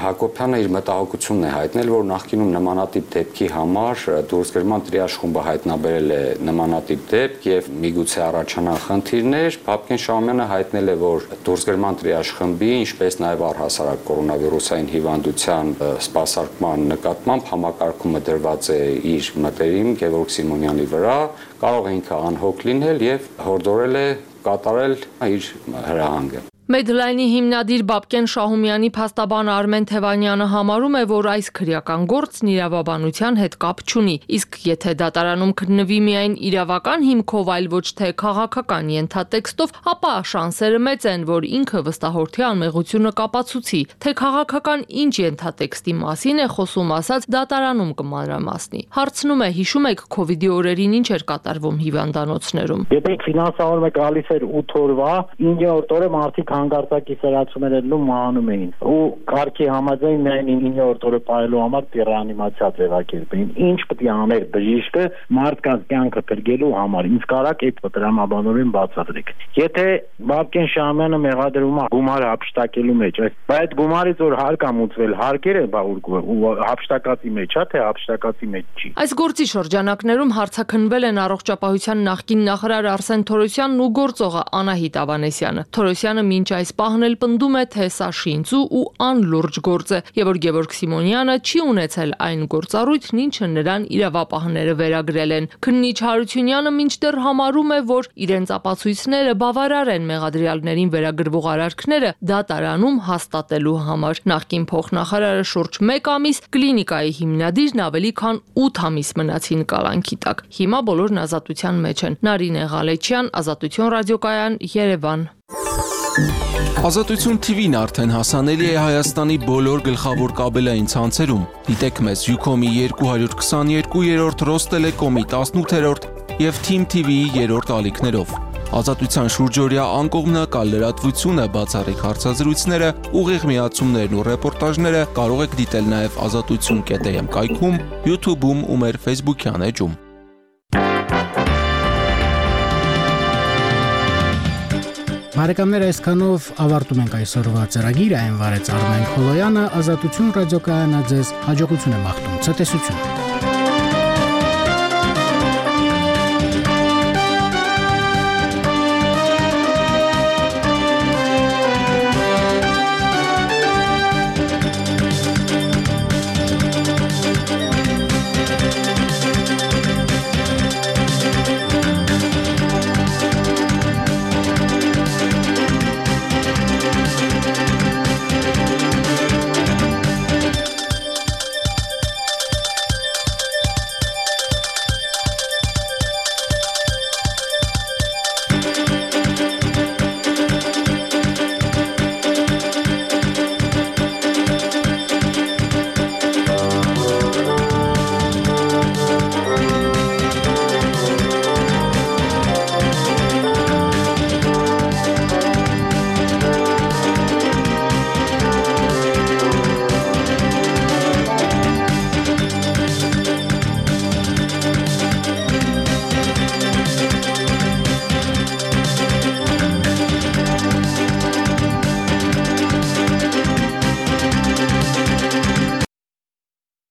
Հակոբյանը իր մտահոգությունն է հայտնել, որ նախկինում նմանատիպ դեպքի համար դուրսգրման տրիաժ խումբը հայտնաբերել է նմանատիպ դեպք եւ միգուցե առաջանան խնդիրներ։ Բաբկեն Շահումյանը հայտնել է, որ դուրսգրման տրիաժ խմբի, ինչպես նաեւ առհասարակ կորոնավիրուսային հիվանդության սպասարկման նկատմամբ համակարգումը դրված է իր մտերիմ Գևորգ Սիմոնյանի վրա, կարող է ինքը անհոգ լինել եւ հորդորել է կատարել իր հրահանգը։ Medline-ի հիմնադիր Բաբկեն Շահումյանի փաստաբան Արմեն Թևանյանը համարում է, որ այս քրեական գործն իրավաբանության հետ կապ չունի, իսկ եթե դատարանում քննվի միայն իրավական հիմքով, այլ ոչ թե քաղաքական ենթատեքստով, ապա շանսերը մեծ են, որ ինքը վստահորդի անմեղությունը կապացուցի, թե քաղաքական ինչ ենթատեքստի մասին է խոսում, ասած դատարանում կմանրամասնի։ Հարցնում է, հիշում եք COVID-ի օրերին ինչ էր կատարվում հիվանդանոցներում։ Եթե ֆինանսավորումը գալիս էր 8 օրվա, 9-րդ օրը մարդիկ հանգարցակի սրացումներ են մահանում էին ու կարգի համաձայն միայն 9-րդ օրը պահելու համար ռեանիմացիա ձևակերպեին։ Ինչ պետք է աներ բժիշկը մարդկանց կյանքը փրկելու համար։ Ինչ կարակ այդ տրամաբանորեն բացատրեք։ Եթե Բաբկեն Շահումյանը մեղադրում է գումար հափշտակելու մեջ, այդ գումարից որ հարկ ամուծվել, հարկերը ու հափշտակածի մեջ է, թե հափշտակածի մեջ չի։ Այս գործի շրջանակներում հարցաքննվել են առողջապահության նախկին նախարար Արսեն Թորոսյանն ու գործողը Անահիտ Ավանեսյանը։ Թորոսյանը մինչ այս պահն էլ պնդում է, թե սա շինծու ու անլուրջ գործ է, եւ որ Գևորգ Սիմոնյանը չի ունեցել այն գործառույթն, ինչը նրան իրավապահները վերագրել են։ Քննիչ Հարությունյանը մինչդեռ համարում է, որ իրենց ապացույցները բավարար են մեղադրյալներին վերագրվող արարքները դատարանում հաստատելու համար։ Նախկին փոխնախարարը շուրջ 1 ամիս, կլինիկայի հիմնադիրն ավելի քան 8 ամիս մնացին կալանքի տակ։ Հիմա բոլորն ազատության մեջ են։ Նարինե Ղալեչյան, Ազատություն ռադիոկայան, Երևան։ Ազատություն TV-ն արդեն հասանելի է Հայաստանի բոլոր գլխավոր կաբելային ցանցերում։ Դիտեք մեզ Ucom-ի 222-րդ, Ռոստելեկոմի 18-րդ եւ Team TV-ի 3-րդ ալիքներով։ Ազատության շուրջօրյա անկողմնակալ լրատվությունը, բացառիկ հարցազրույցները, ուղիղ միացումներն ու ռեպորտաժները կարող եք դիտել նաեւ azatutsun.am կայքում, YouTube-ում ու մեր Facebook-յան էջում։ Բարեկամներ, այսքանով ավարտում ենք այսօրվա ծրագիրը, այն վարեց Արմեն Խոլոյանը, Ազատություն ռադիոկայանը ձեզ հաջողություն է մաղթում, ցտեսություն։